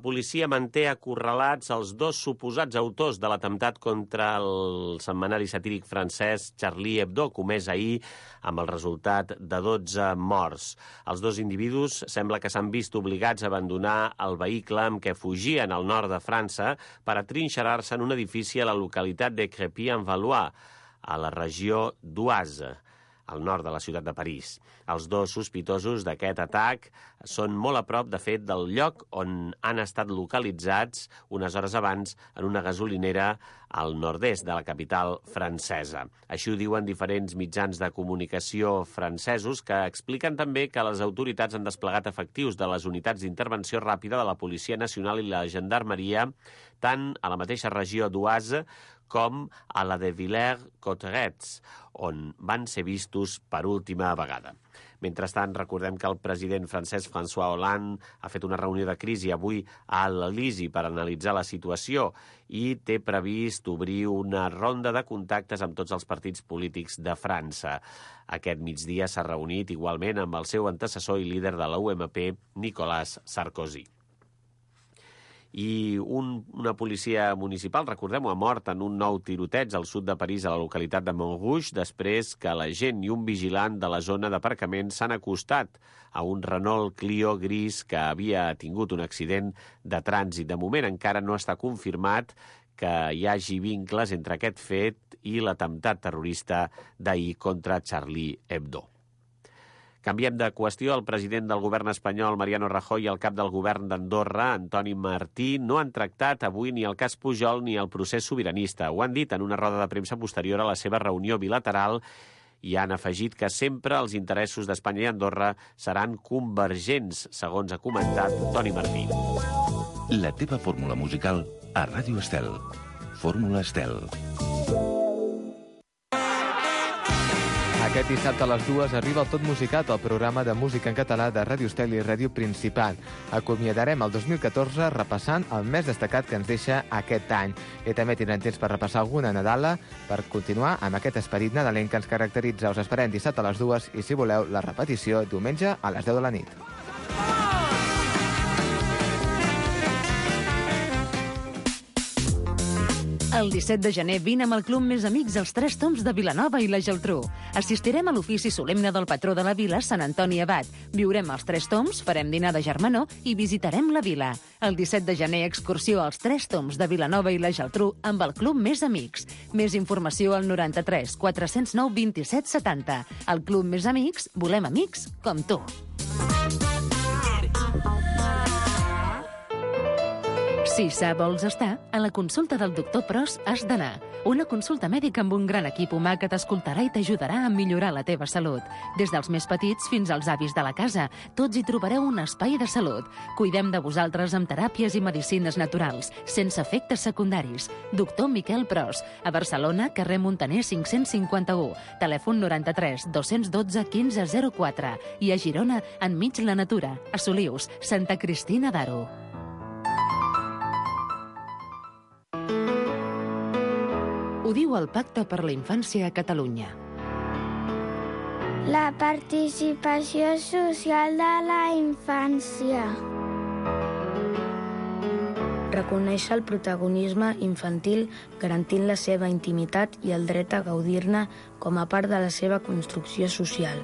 policia manté acorralats els 2 suposats autors de l'atemptat contra el setmanari satíric francès Charlie Hebdo, comès ahir amb el resultat de 12 morts. Els 2 individus sembla que s'han vist obligats a abandonar el vehicle amb què fugien al nord de França per atrinxerar-se en un edifici a la localitat de Crépy-en-Valois, a la regió d'Oise, al nord de la ciutat de París. Els 2 sospitosos d'aquest atac són molt a prop, de fet, del lloc on han estat localitzats unes hores abans en una gasolinera al nord-est de la capital francesa. Així ho diuen diferents mitjans de comunicació francesos, que expliquen també que les autoritats han desplegat efectius de les unitats d'intervenció ràpida de la Policia Nacional i la Gendarmeria, tant a la mateixa regió d'Oise com a la de Villers-Cotterets, on van ser vistos per última vegada. Mentrestant, recordem que el president francès François Hollande ha fet una reunió de crisi avui a l'Elisi per analitzar la situació i té previst obrir una ronda de contactes amb tots els partits polítics de França. Aquest migdia s'ha reunit igualment amb el seu antecessor i líder de la UMP, Nicolas Sarkozy. I una policia municipal, recordem-ho, ha mort en un nou tiroteig al sud de París, a la localitat de Montrouge, després que l'agent i un vigilant de la zona d'aparcament s'han acostat a un Renault Clio gris que havia tingut un accident de trànsit. De moment encara no està confirmat que hi hagi vincles entre aquest fet i l'atemptat terrorista d'ahir contra Charlie Hebdo. Canviem de qüestió. El president del govern espanyol, Mariano Rajoy, i el cap del govern d'Andorra, Antoni Martí, no han tractat avui ni el cas Pujol ni el procés sobiranista. Ho han dit en una roda de premsa posterior a la seva reunió bilateral i han afegit que sempre els interessos d'Espanya i Andorra seran convergents, segons ha comentat Toni Martí. La teva fórmula musical a Ràdio Estel. Fórmula Estel. Aquest dissabte a les 2 arriba el Tot Musicat, el programa de música en català de Ràdio Estel i Ràdio Principat. Acomiadarem el 2014 repassant el més destacat que ens deixa aquest any. I també tindrem temps per repassar alguna Nadala per continuar amb aquest esperit nadalenc que ens caracteritza. Us esperem dissabte a les 2 i, si voleu, la repetició diumenge a les 10 de la nit. El 17 de gener vine amb el Club Més Amics als Tres Tombs de Vilanova i la Geltrú. Assistirem a l'ofici solemne del patró de la vila, Sant Antoni Abat. Viurem als Tres Tombs, farem dinar de germanor i visitarem la vila. El 17 de gener, excursió als Tres Tombs de Vilanova i la Geltrú amb el Club Més Amics. Més informació al 93 409 27 70. El Club Més Amics, volem amics com tu. Si sa vols estar, a la consulta del doctor Pros has d'anar. Una consulta mèdica amb un gran equip humà que t'escoltarà i t'ajudarà a millorar la teva salut. Des dels més petits fins als avis de la casa, tots hi trobareu un espai de salut. Cuidem de vosaltres amb teràpies i medicines naturals, sense efectes secundaris. Doctor Miquel Pros, a Barcelona, carrer Montaner 551, telèfon 93 212 1504 i a Girona, enmig la natura, a Solius, Santa Cristina d'Aro. Ho diu el Pacte per la Infància a Catalunya. La participació social de la infància. Reconèixer el protagonisme infantil garantint la seva intimitat i el dret a gaudir-ne com a part de la seva construcció social.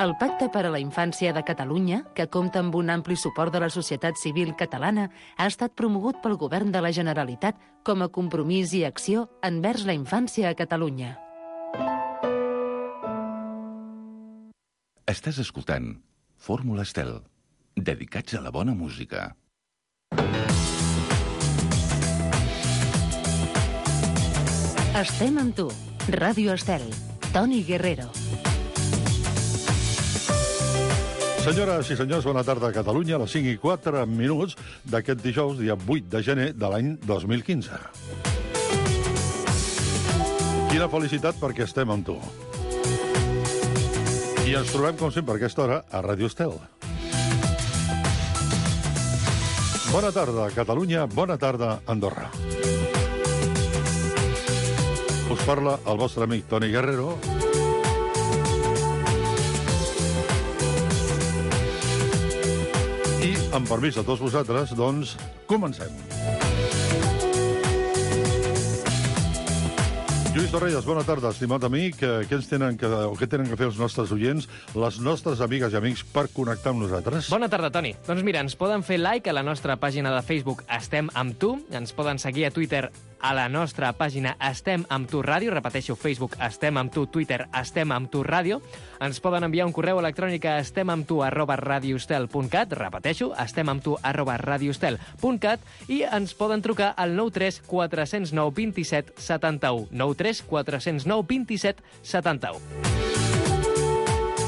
El Pacte per a la Infància de Catalunya, que compta amb un ampli suport de la societat civil catalana, ha estat promogut pel Govern de la Generalitat com a compromís i acció envers la infància a Catalunya. Estàs escoltant Fórmula Estel, dedicats a la bona música. Estem amb tu. Ràdio Estel. Toni Guerrero. Senyores i senyors, bona tarda a Catalunya, a les 5:04 d'aquest dijous, dia 8 de gener de l'any 2015. Quina felicitat perquè estem amb tu. I ens trobem, com sempre, a aquesta hora, a Ràdio Estel. Bona tarda, Catalunya, bona tarda, Andorra. Us parla el vostre amic Toni Guerrero. I Amb permís de tots vosaltres, doncs, comencem. Lluís Torrelles, bona tarda, estimat amic. Què tenen que fer els nostres oients, les nostres amigues i amics, per connectar amb nosaltres? Bona tarda, Toni. Doncs mira, ens poden fer like a la nostra pàgina de Facebook Estem amb tu, ens poden seguir a Twitter a la nostra pàgina Estem amb tu ràdio, repeteixo, Facebook Estem amb tu, Twitter Estem amb tu ràdio, ens poden enviar un correu electrònic a estemamtu@radioestel.cat, repeteixo, estemamtu@radioestel.cat, i ens poden trucar al 93 409 27 71, 93 409 27 71.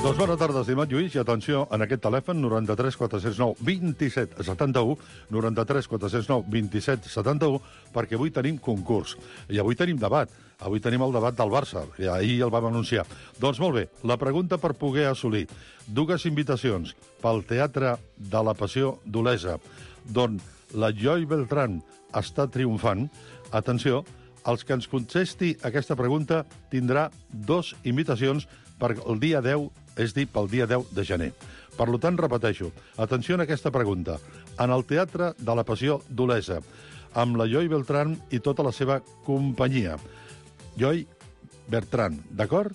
Doncs bona tarda, estimat Lluís, i atenció, en aquest telèfon, 93 409 27 71, 93 409 27 71, perquè avui tenim concurs, i avui tenim debat. Avui tenim el debat del Barça, i ahir el vam anunciar. Doncs molt bé, la pregunta per poder assolir dues invitacions pel Teatre de la Passió d'Olesa, d'on la Joy Beltrán està triomfant. Atenció, els que ens contesti aquesta pregunta tindrà dues invitacions per el dia 10, és dir, pel dia 10 de gener. Per tant, repeteixo, atenció a aquesta pregunta. En el Teatre de la Passió d'Olesa, amb la Joy Beltrán i tota la seva companyia. Joy Beltrán, d'acord?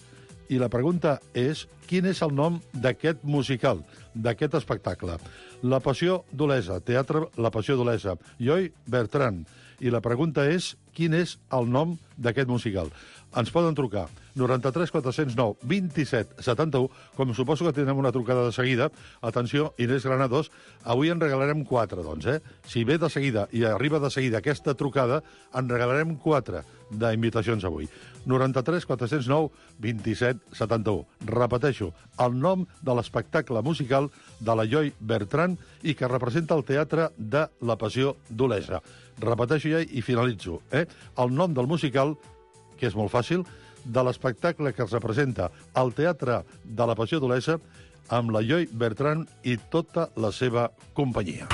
I la pregunta és, quin és el nom d'aquest musical, d'aquest espectacle? La Passió d'Olesa, Teatre La Passió d'Olesa, Joy Beltrán. I la pregunta és, quin és el nom d'aquest musical? Ens poden trucar 93 409 27 71, com suposo que tindrem una trucada de seguida. Atenció, Inés Granados, avui en regalarem 4, doncs, Si ve de seguida i arriba de seguida aquesta trucada, en regalarem 4 d'invitacions avui. 93 409 27 71. Repeteixo, el nom de l'espectacle musical de la Joy Beltrán i que representa el Teatre de la Passió d'Olesa. Repeteixo ja i finalitzo. El nom del musical, que és molt fàcil, de l'espectacle que es representa al Teatre de la Passió d'Olesa amb la Joy Beltrán i tota la seva companyia.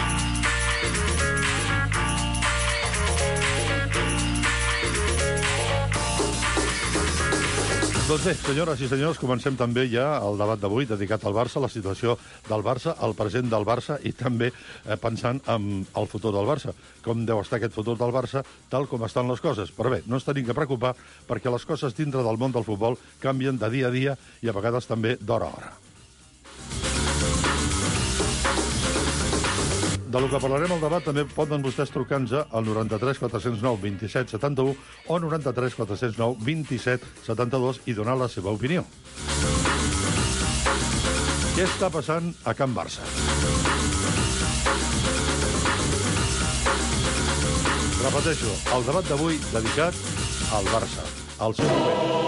Doncs bé, senyores i senyors, comencem també ja el debat d'avui dedicat al Barça, la situació del Barça, el present del Barça i també pensant en el futur del Barça. Com deu estar aquest futur del Barça, tal com estan les coses. Però bé, no ens tenim que preocupar perquè les coses dintre del món del futbol canvien de dia a dia i a vegades també d'hora a hora. Del que parlarem al debat també poden vostès trucar-nos al 93 409 27 71 o 93 409 27 72 i donar la seva opinió. Què està passant a Can Barça? Repeteixo, el debat d'avui dedicat al Barça, al seu moment.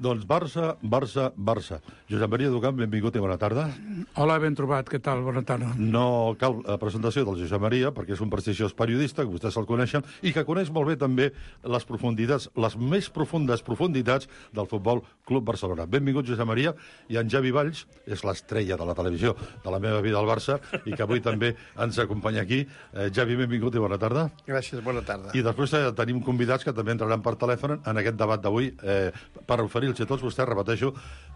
Doncs Barça, Barça, Barça. Josep Maria Ducamp, benvingut i bona tarda. Hola, ben trobat, què tal? Bona tarda. No cal presentació del Josep Maria, perquè és un prestigiós periodista, que vostès se'l coneixen, i que coneix molt bé també les profunditats, les més profundes profunditats del Futbol Club Barcelona. Benvingut, Josep Maria, i en Javi Valls, és l'estrella de la televisió de la meva vida al Barça, i que avui també ens acompanya aquí. Javi, benvingut i bona tarda. Gràcies, bona tarda. I després tenim convidats que també entraran per telèfon en aquest debat d'avui per oferir-los a tots vostès, repeteixo,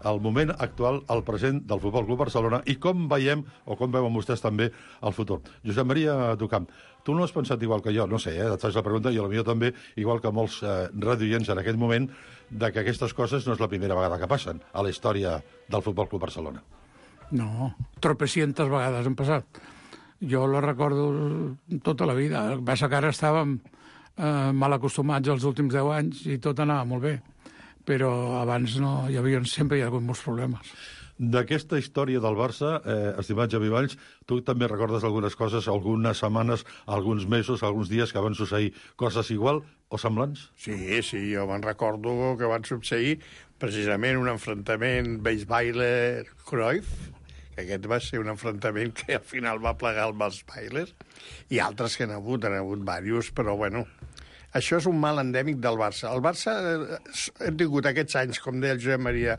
el moment actual, el present del Futbol Club Barcelona i com veiem, o com veuen vostès també, el futur. Josep Maria Ducamp, tu no has pensat igual que jo, no sé, et faig la pregunta, i potser també, igual que molts radioients en aquest moment, de que aquestes coses no és la primera vegada que passen a la història del Futbol Club Barcelona. No, tropecientes vegades han passat. Jo la recordo tota la vida. El que passa que ara estàvem mal acostumats els últims 10 anys i tot anava molt bé. Però abans no, sempre hi ha hagut molts problemes. D'aquesta història del Barça, estimat Javi Valls, tu també recordes algunes coses, algunes setmanes, alguns mesos, alguns dies que van succeir coses igual o semblants? Sí, jo me'n recordo que van succeir precisament un enfrontament Weisweiler-Cruyff, que aquest va ser un enfrontament que al final va plegar el Weisweiler, i altres que han hagut diversos, però bueno, això és un mal endèmic del Barça. El Barça hem tingut aquests anys, com deia el Josep Maria,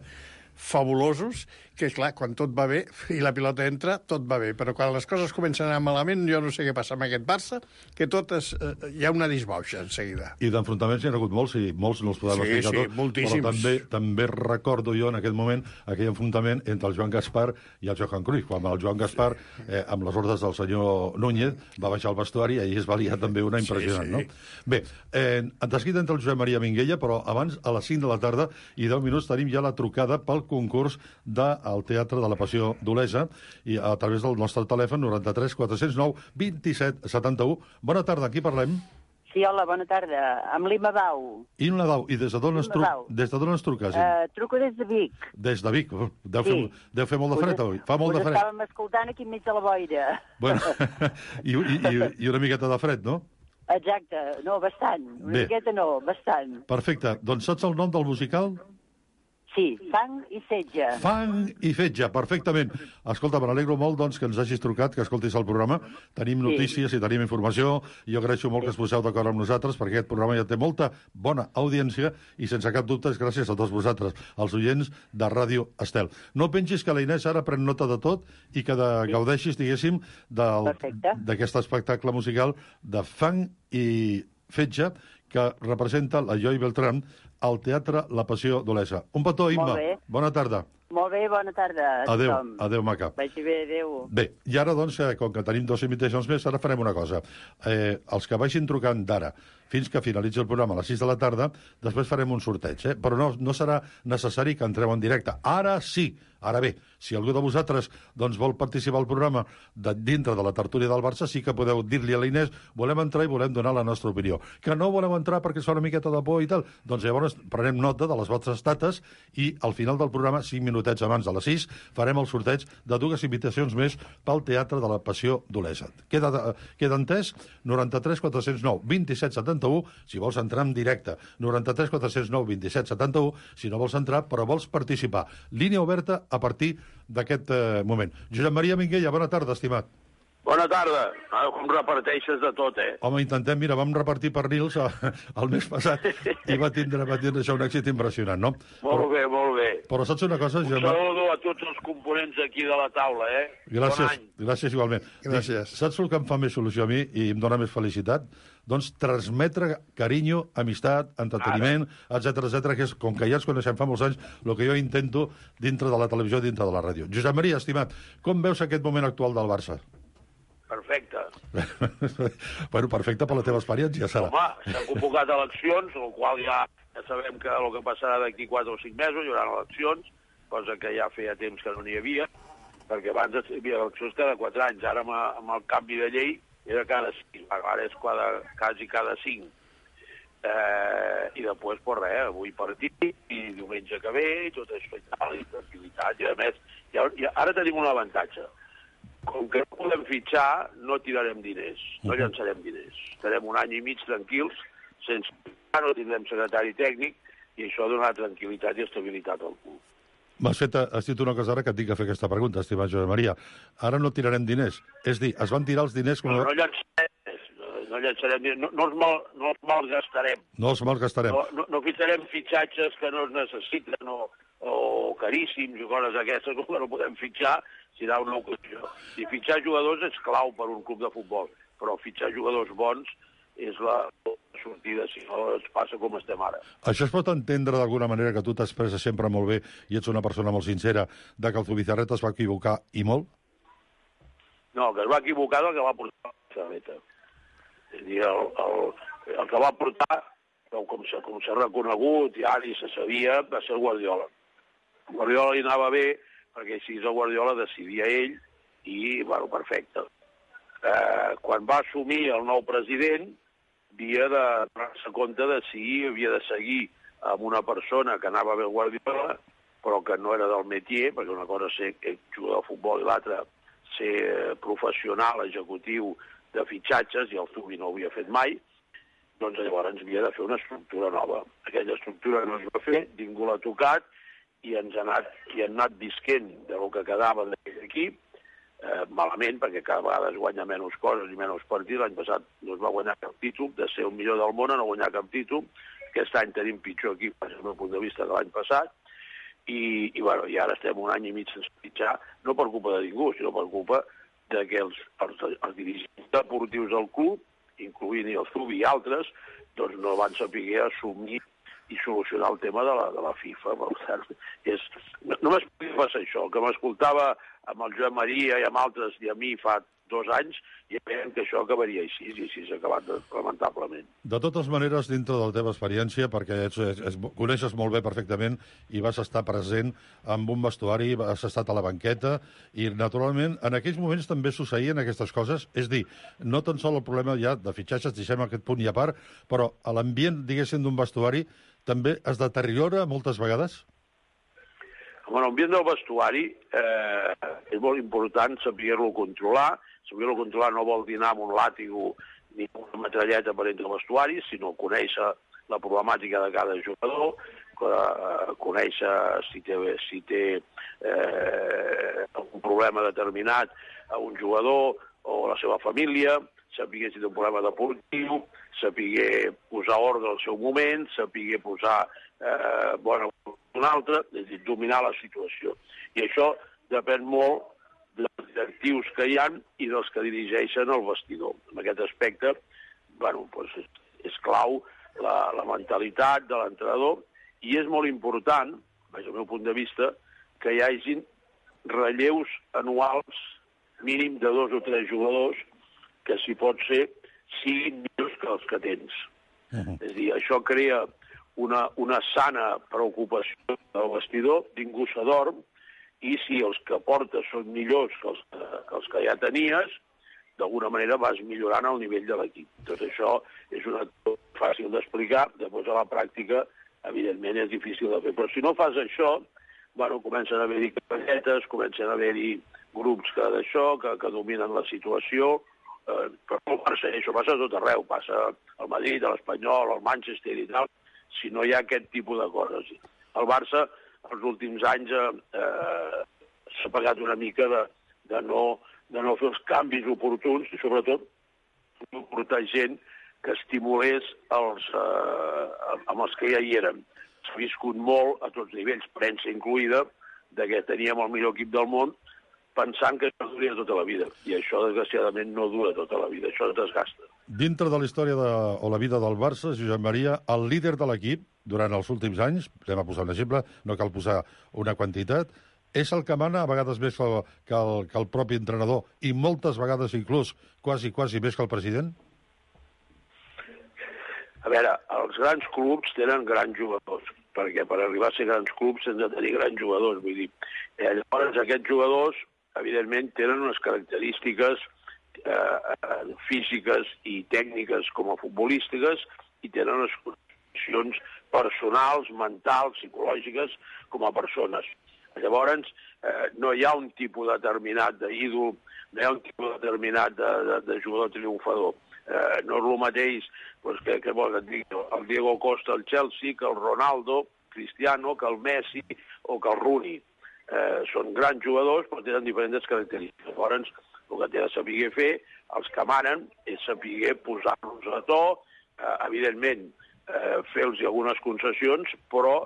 fabulosos, que és clar, quan tot va bé i la pilota entra, tot va bé. Però quan les coses comencen a anar malament, jo no sé què passa amb aquest Barça, que hi ha una disbauxa en seguida. I d'enfrontaments n'hi ha hagut molts, i molts no els podem explicar tot. Moltíssims. Però també recordo jo en aquest moment aquell enfrontament entre el Joan Gaspar i el Johan Cruyff, quan el Joan Gaspar, amb les ordres del senyor Núñez, va baixar al vestuari i ahir es va liar també una impressionant, no? Bé, de seguida entre el Josep Maria Minguella, però abans, a les 5 de la tarda i 10 minuts, tenim ja la trucada pel concurs del Teatre de la Passió d'Olesa i a través del nostre telèfon 93 409 27 71. Bona tarda, aquí parlem. Sí, hola, bona tarda. Amb l'Ima Bau. Ima Bau, i des de d'on ens truques? Truco des de Vic. Des de Vic? Deu fer molt de fred avui. Fa molt de fred. Us estàvem escoltant aquí enmig de la boira. Bueno, i una miqueta de fred, no? Exacte, no, bastant. Una miqueta no, bastant. Perfecte. Doncs saps el nom del musical? Sí, Fang i Fetge. Fang i Fetge, perfectament. Escolta, me n'alegro molt doncs, que ens hagis trucat, que escoltis el programa. Tenim notícies i tenim informació. Jo agraeixo molt que es poseu d'acord amb nosaltres, perquè aquest programa ja té molta bona audiència i sense cap dubte és gràcies a tots vosaltres, els oients de Ràdio Estel. No pensis que la Inés ara pren nota de tot i que gaudeixis, diguéssim, d'aquest espectacle musical de Fang i Fetge, que representa la Joy Beltrán al Teatre La Passió d'Olesa. Un petó, Imma. Bona tarda. Molt bé, bona tarda. Adéu, maca. Vagi bé, adéu. Bé, i ara, doncs, com que tenim 2 invitacions més, ara farem una cosa. Els que vagin trucant d'ara fins que finalitzi el programa a les 6 de la tarda, després farem un sorteig, però no serà necessari que entreu en directe. Ara sí! Ara bé, si algú de vosaltres doncs, vol participar al programa dintre de la tertúlia del Barça, sí que podeu dir-li a l'Inés volem entrar i volem donar la nostra opinió. Que no voleu entrar perquè es fa una miqueta de por i tal, doncs llavors prenem nota de les vostres dates i al final del programa, 5 minutets abans de les 6, farem el sorteig de 2 invitacions més pel Teatre de la Passió d'Olesa. Queda entès? 93 409 27 71, si vols entrar en directe. 93 409 27 71, si no vols entrar però vols participar. Línia oberta a partir d'aquest moment. Josep Maria Minguella, bona tarda, estimat. Bona tarda. Com reparteixes de tot, Home, intentem, mira, vam repartir pernils el mes passat i va tindre això un èxit impressionant, no? Molt bé. Però saps una cosa, Josep? Un saludo a tots els components aquí de la taula, Gràcies igualment. Gràcies. Saps el que em fa més solució a mi i em dóna més felicitat? Doncs transmetre carinyo, amistat, entreteniment, etc, que és, com que ja ens coneixem fa molts anys, el que jo intento dintre de la televisió i dintre de la ràdio. Josep Maria, estimat, com veus aquest moment actual del Barça? Perfecte. Bueno, perfecte per la teva experiència, serà. Home, s'han convocat eleccions, el qual ja sabem que el que passarà d'aquí 4 o 5 mesos hi haurà eleccions, cosa que ja feia temps que no n'hi havia, perquè abans hi havia eleccions cada 4 anys, ara amb el canvi de llei era cada 5, ara és quasi cada 5. I després, pues res, avui partit, i diumenge que ve, i tot això i tal, i tranquil·litat, i a més, ara tenim un avantatge. Com que no podem fitxar, no tirarem diners, no llançarem diners. Estarem un any i mig tranquils, sense fitxar, no tindrem secretari tècnic, i això donarà tranquil·litat i estabilitat al club. Has dit una cosa ara que et dic a fer aquesta pregunta, estimat Josep Maria. Ara no tirarem diners. És dir, es van tirar els diners... No llançarem diners, no els malgastarem. No els malgastarem. No fitxarem fitxatges que no es necessiten o caríssims i coses aquestes, que no podem fitxar, serà una ocasió. Si fitxar jugadors és clau per un club de futbol, però fitxar jugadors bons és la sortida, si no es passa com estem ara. Això es pot entendre d'alguna manera, que tu t'expresses sempre molt bé i ets una persona molt sincera, de que el Zubizarreta es va equivocar i molt? No, que es va equivocar del que va portar la Zubizarreta. És a dir, el que va portar, com s'ha reconegut, i ara se sabia, va ser el Guardiola. El Guardiola li anava bé, perquè si és el Guardiola decidia ell, i, bueno, perfecte. Quan va assumir el nou president, havia de donar-se compte de si havia de seguir amb una persona que anava bé el Guardiola però que no era del métier, perquè una cosa és ser jugador de futbol i l'altra ser professional, executiu de fitxatges, i el Zubi no ho havia fet mai, doncs llavors havia de fer una estructura nova. Aquella estructura no es va fer, ningú l'ha tocat, i han anat visquent del que quedava d'aquell equip, malament, perquè cada vegada es guanya menys coses i menys partits. L'any passat no es va guanyar cap títol, de ser el millor del món a no guanyar cap títol. Aquest any tenim pitjor equip, des del meu punt de vista, que l'any passat, i ara estem un any i mig sense pitjar, no per culpa de ningú, sinó per culpa que els dirigents deportius del club, incloent-hi el Zubi i altres, doncs no van saber assumir i solucionar el tema de la FIFA. Només podia passar això. El que m'escoltava amb el Joan Maria i amb altres i a mi fa 2 anys, i veiem que això acabaria així, i així s'ha acabat lamentablement. De totes maneres, dintre de la teva experiència, perquè coneixes molt bé perfectament i vas estar present en un vestuari, has estat a la banqueta, i naturalment en aquells moments també succeïen aquestes coses, és dir, no tan sol el problema ja de fitxatges, deixem aquest punt i a part, però l'ambient, diguéssim, d'un vestuari també es deteriora moltes vegades? Bueno, l'ambient del vestuari és molt important saber-lo controlar. Saber-lo controlar no vol dir anar amb un làtigo ni una metralleta per entre el vestuari, sinó conèixer la problemàtica de cada jugador, conèixer si té un problema determinat a un jugador o a la seva família, saber si té un problema deportiu, saber posar ordre al seu moment, saber posar un altre, és a dir, dominar la situació. I això depèn molt dels directius que hi ha i dels que dirigeixen el vestidor. En aquest aspecte, és clau la mentalitat de l'entrenador, i és molt important, des del meu punt de vista, que hi hagin relleus anuals mínim de 2 o 3 jugadors que, si pot ser, siguin millors que els que tens. És a dir, això crea una sana preocupació del vestidor, ningú s'adorm, i si els que portes són millors que els que ja tenies, d'alguna manera vas millorant el nivell de l'equip. Tot això és una cosa fàcil d'explicar, després a la pràctica, evidentment, és difícil de fer. Però si no fas això, comencen a haver-hi capelletes, comencen a haver-hi grups que dominen la situació, però no passa, això passa a tot arreu, passa al Madrid, a l'Espanyol, al Manchester i tal, si no hi ha aquest tipus de coses. El Barça, els últims anys, s'ha pagat una mica de no fer els canvis oportuns, i sobretot no portar gent que estimulés amb els que ja hi eren. S'ha viscut molt, a tots nivells, premsa incloïda, que teníem el millor equip del món, pensant que això duria tota la vida. I això, desgraciadament, no dura tota la vida. Això es desgasta. Dintre de la història o la vida del Barça, Josep Maria, el líder de l'equip, durant els últims anys, anem a posar un exemple, no cal posar una quantitat, és el que mana a vegades més que el propi entrenador, i moltes vegades inclús quasi més que el president? A veure, els grans clubs tenen grans jugadors, perquè per arribar a ser grans clubs hem de tenir grans jugadors. Vull dir, llavors aquests jugadors, evidentment, tenen unes característiques físiques i tècniques com a futbolístiques, i tenen unes condicions personals, mentals, psicològiques com a persones. Llavors, no hi ha un tipus determinat d'ídol, no hi ha un tipus determinat de jugador triomfador. No és el mateix que vol que et digui el Diego Costa al Chelsea, que el Ronaldo, Cristiano, que el Messi o que el Rooney. Són grans jugadors, però tenen diferents característiques. Llavors, el que té de saber fer, els que manen, és saber posar-los a to, evidentment, fer-los algunes concessions, però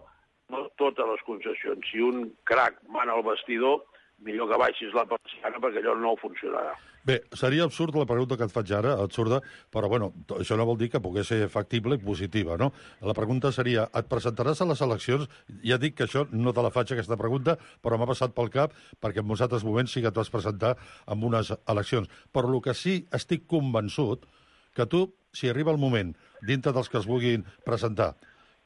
no totes les concessions. Si un crac mana al vestidor, millor que baixis la persiana, perquè allò no funcionarà. Bé, seria absurd la pregunta que et faig ara, absurda, però bueno, això no vol dir que pogués ser factible i positiva, no? La pregunta seria, et presentaràs a les eleccions? Ja dic que això no te la faig, aquesta pregunta, però m'ha passat pel cap, perquè en molts altres moments sí que et vas presentar en unes eleccions. Però el que sí estic convençut, que tu, si arriba el moment, dintre dels que es vulguin presentar,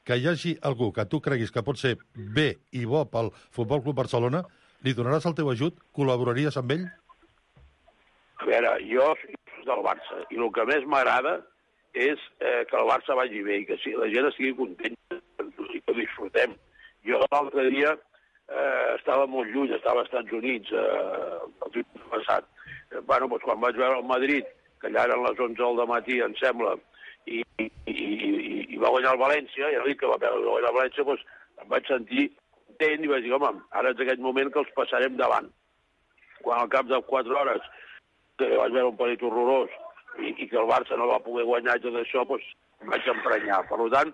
que hi hagi algú que tu creguis que pot ser bé i bo pel Futbol Club Barcelona, li donaràs el teu ajut? Col·laboraries amb ell? A veure, jo soc del Barça, i el que més m'agrada és que el Barça vagi bé i que la gent estigui contenta, i que ho disfrutem. Jo l'altre dia estava molt lluny, estava als Estats Units el dia passat. Bueno, doncs quan vaig veure el Madrid, que allà eren les 11 del matí, em sembla, i va guanyar el València, i el dit que va guanyar el València, doncs em vaig sentir content i vaig dir, home, ara és aquell moment que els passarem davant. Quan al cap de 4 hores que vaig veure un partit horrorós i que el Barça no va poder guanyar i tot això, doncs em vaig emprenyar. Per tant,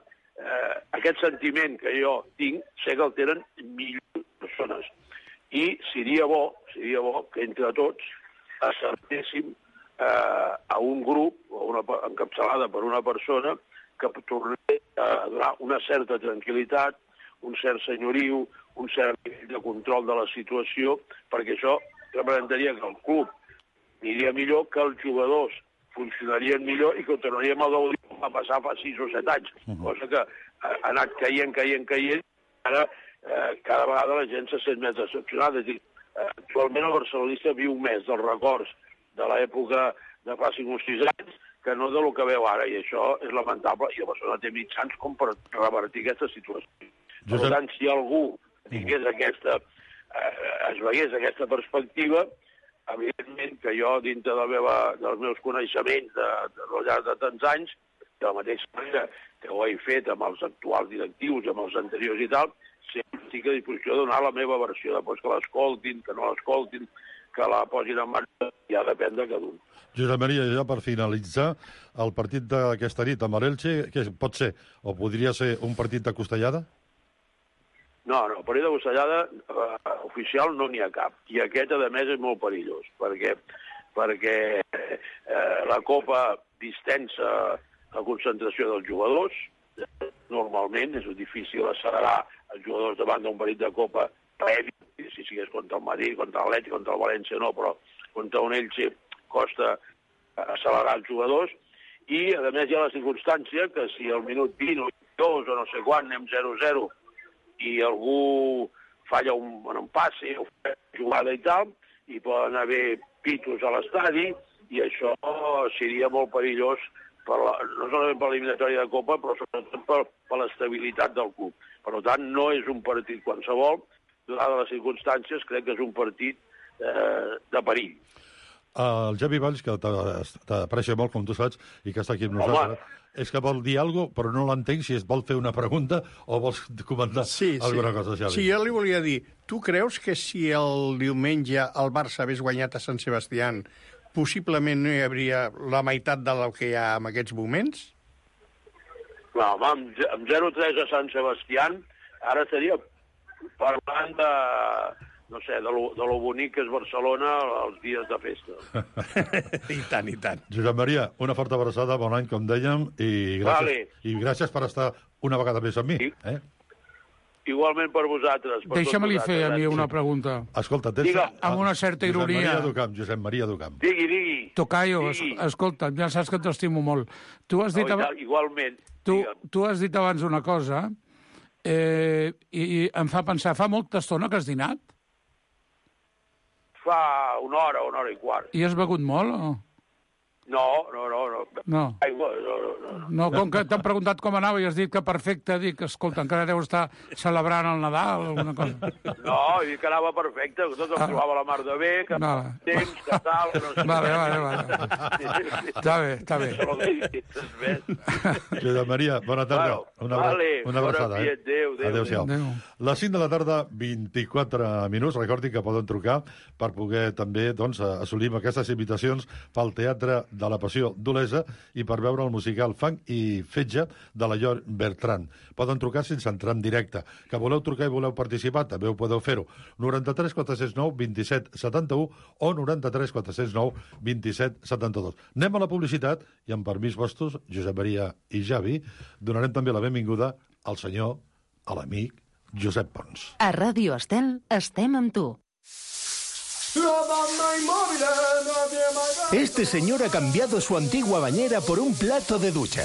aquest sentiment que jo tinc, sé que el tenen milions de persones. I seria bo que entre tots acertéssim a un grup, encapçalada per una persona, que tornés a donar una certa tranquil·litat, un cert senyoriu, un cert nivell de control de la situació, perquè això representaria que el club aniria millor, que els jugadors funcionarien millor i que ho tornaríem a gaudir com va passar fa 6 o 7 anys, cosa que ha anat caient, ara cada vegada la gent se sent més decepcionada. És a dir, actualment el barcelonista viu més dels records de l'època de fa 5 o 6 anys que no del que veu ara, i això és lamentable, i el Barcelona té mitjans com per revertir aquesta situació. Per tant, si algú tingués es veiés aquesta perspectiva, evidentment que jo, dintre dels meus coneixements al llarg de tants anys, de la mateixa manera que ho he fet amb els actuals directius i amb els anteriors i tal, sempre estic a disposició de donar la meva versió, després que l'escoltin, que no l'escoltin, que la posin en marxa, ja depèn de cada un. Josep Maria, ja per finalitzar, el partit d'aquesta nit amb l'Elche, què pot ser? O podria ser un partit de costellada? No, el partit de costellada oficial no n'hi ha cap. I aquest, a més, és molt perillós, perquè la Copa distensa la concentració dels jugadors. Normalment és difícil accelerar els jugadors davant d'un partit de Copa previ, si sigués contra el Madrid, contra l'Atlètic, contra el València no, però contra un Elche costa accelerar els jugadors. I, a més, hi ha la circumstància que si al minut 20 o 22 o no sé quan anem 0-0 i algú falla un passe o una jugada i tal, hi poden haver pitos a l'estadi i això seria molt perillós no solament per l'eliminatòria de Copa, però sobretot per l'estabilitat del club. Per tant, no és un partit qualsevol, donades les circumstàncies, crec que és un partit de perill. El Javi Valls, que t'aprecia molt, com tu saps, i que està aquí amb nosaltres, és que vol dir alguna cosa, però no l'entenc si es vol fer una pregunta o vols comentar alguna cosa, Javi. Sí, jo li volia dir, tu creus que si el diumenge el Barça hagués guanyat a Sant Sebastián, possiblement no hi hauria la meitat del que hi ha en aquests moments? No, amb 0-3 a Sant Sebastián, ara estaria parlant de, no sé, de lo bonic que és Barcelona els dies de festa. I tant, i tant. Josep Maria, una forta abraçada, bon any, com dèiem, i gràcies per estar una vegada més amb mi. Igualment per vosaltres. Deixa'm-li fer a mi una pregunta. Escolta, amb una certa ironia. Josep Maria Ducamp. Digui. Tocayo, escolta, ja saps que t'estimo molt. Tu has dit igualment. Tu has dit abans una cosa i em fa pensar, fa molta estona que has dinat? Fa una hora i quart. I has begut molt o...? No. Aigua, no, com que t'han preguntat com anava i has dit que perfecte, dic, escolta, encara deu estar celebrant el Nadal o alguna cosa. No, he dit que anava perfecte, que tot em trobava la mar de bé, que temps, que tal... No sé. Vale. Està bé. Josep Maria, bona tarda. Una abraçada. Adéu-siau. Les 5 de la tarda, 24 minuts. Recordi que poden trucar per poder també assolir aquestes invitacions pel Teatre de la Passió d'Olesa i per veure el musical Fang i Fetge de la Llor Bertran. Poden trucar sense entrar en directe. Que voleu trucar i voleu participar, també ho podeu fer-ho. 93 409 27 71 o 93 409 27 72. Anem a la publicitat i, amb permís vostres, Josep Maria i Javi, donarem també la benvinguda al senyor, a l'amic Josep Pons. A Ràdio Estel estem amb tu. Este señor ha cambiado su antigua bañera por un plato de ducha.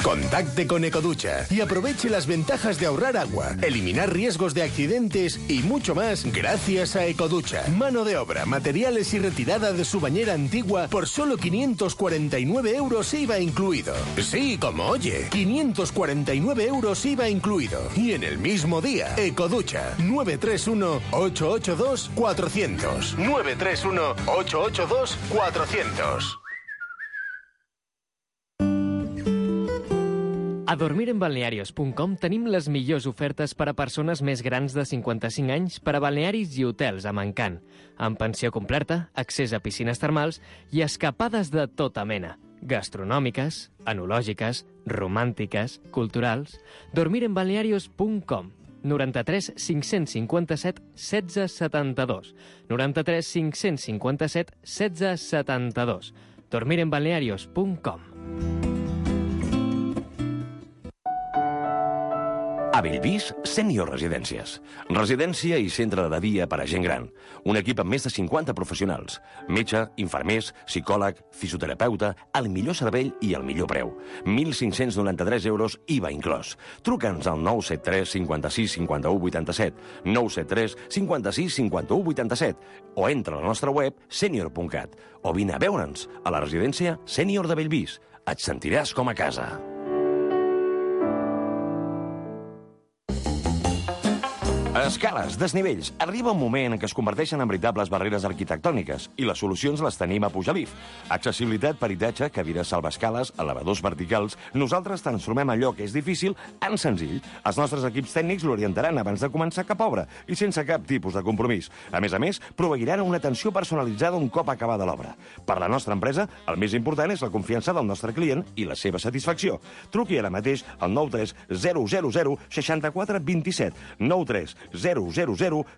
Contacte con Ecoducha y aproveche las ventajas de ahorrar agua, eliminar riesgos de accidentes y mucho más gracias a Ecoducha. Mano de obra, materiales y retirada de su bañera antigua por solo 549 euros IVA incluido. Sí, como oye, 549 euros IVA incluido. Y en el mismo día, Ecoducha, 931-882-400. 931-882-400. A dormirenbalnearios.com tenim les millors ofertes per a persones més grans de 55 anys per a balnearis i hotels amb encant, amb pensió completa, accés a piscines termals i escapades de tota mena, gastronòmiques, enològiques, romàntiques, culturals. Dormirenbalnearios.com 93 557 16 72 93 557 16 72 dormirenbalnearios.com. A Bellvís, Sènior Residències. Residència i centre de dia per a gent gran. Un equip amb més de 50 professionals. Metge, infermers, psicòleg, fisioterapeuta, el millor servei i el millor preu. 1.593 euros IVA inclòs. Truca'ns al 973 56 51 87, 973 56 51 87 o entra a la nostra web senior.cat o vine a veure'ns a la residència Sènior de Bellvís. Et sentiràs com a casa. Escales, desnivells. Arriba un moment en què es converteixen en veritables barreres arquitectòniques i les solucions les tenim a Pujalif. Accessibilitat, peritatge, cadires salvaescales, elevadors verticals. Nosaltres transformem allò que és difícil en senzill. Els nostres equips tècnics l'orientaran abans de començar cap obra i sense cap tipus de compromís. A més, proveiran una atenció personalitzada un cop acabada l'obra. Per la nostra empresa, el més important és la confiança del nostre client i la seva satisfacció. Truqui ara mateix al 93 000 64 27 93 000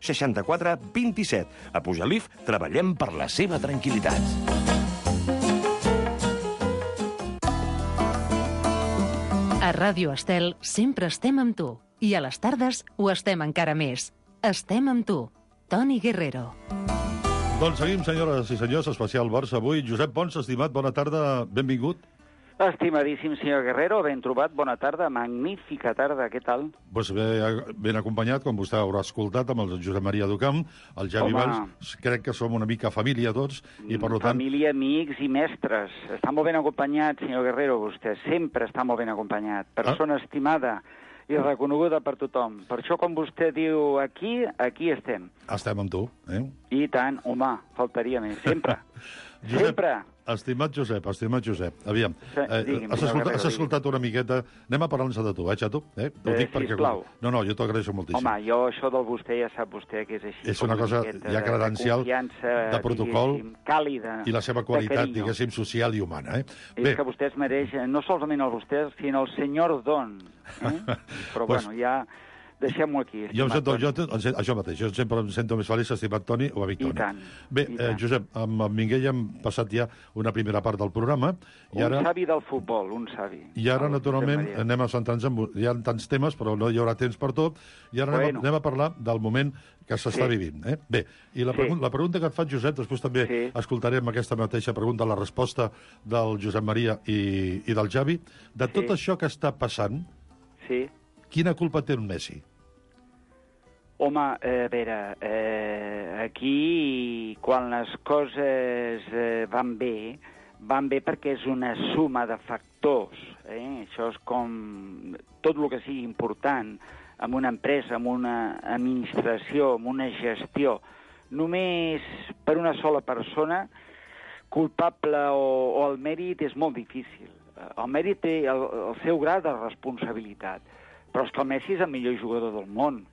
64 27. A Pujalif treballem per la seva tranquil·litat. A Ràdio Estel sempre estem amb tu. I a les tardes ho estem encara més. Estem amb tu. Toni Guerrero. Doncs seguim, senyores i senyors, especial Barça avui. Josep Pons, estimat, bona tarda, benvingut. Estimadíssim senyor Guerrero, ben trobat, bona tarda, magnífica tarda, què tal? Pues ben acompanyat, com vostè haurà escoltat, amb el Josep Maria Ducamp, el Javi Valls, crec que som una mica família tots, i per tant... Família, amics i mestres. Està molt ben acompanyat, senyor Guerrero, vostè sempre està molt ben acompanyat. Persona estimada i reconeguda per tothom. Per això, com vostè diu aquí, aquí estem. Estem amb tu, eh? I tant, home, faltaria més, sempre. Josep, sempre. Estimat Josep, aviam, has escoltat una miqueta, anem a parlar-nos de tu, xato? Ho dic perquè... Sisplau. No, jo t'agraeixo moltíssim. Home, jo això del vostè ja sap vostè que és així. És una cosa ja credencial de protocol càlida, i la seva qualitat, diguéssim, social i humana. És que vostè es mereix, no solament el vostè, sinó el senyor Don. Però bueno, ja... Deixem-ho aquí. Jo això mateix, jo sempre em sento més feliç, estimat Toni, o amic Toni. I tant. Bé, Josep, amb Minguell hem passat ja una primera part del programa. Un savi del futbol, un savi. I ara, naturalment, anem a centrar-nos en... Hi ha tants temes, però no hi haurà temps per tot. I ara anem a parlar del moment que s'està vivint. Bé, i la pregunta que et faig, Josep, després també escoltarem aquesta mateixa pregunta, la resposta del Josep Maria i del Javi. De tot això que està passant, quina culpa té en Messi? Home, a veure, aquí quan les coses van bé perquè és una suma de factors. Això és com tot el que sigui important en una empresa, en una administració, en una gestió. Només per una sola persona, culpable o el mèrit és molt difícil. El mèrit té el seu grau de responsabilitat, però és que el Messi és el millor jugador del món.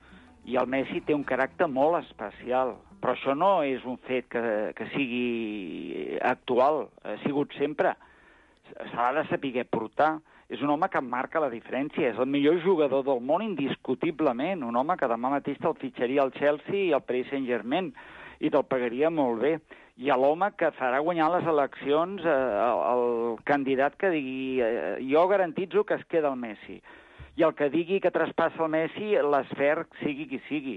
I el Messi té un caràcter molt especial, però això no és un fet que sigui actual, ha sigut sempre. Se l'ha de saber portar. És un home que marca la diferència, és el millor jugador del món indiscutiblement, un home que demà mateix te'l fitxaria al Chelsea i al Paris Saint-Germain, i te'l pagaria molt bé. I l'home que farà guanyar les eleccions, el candidat que digui jo garantitzo que es queda el Messi. I el que digui que traspassa el Messi, l'esfert sigui qui sigui.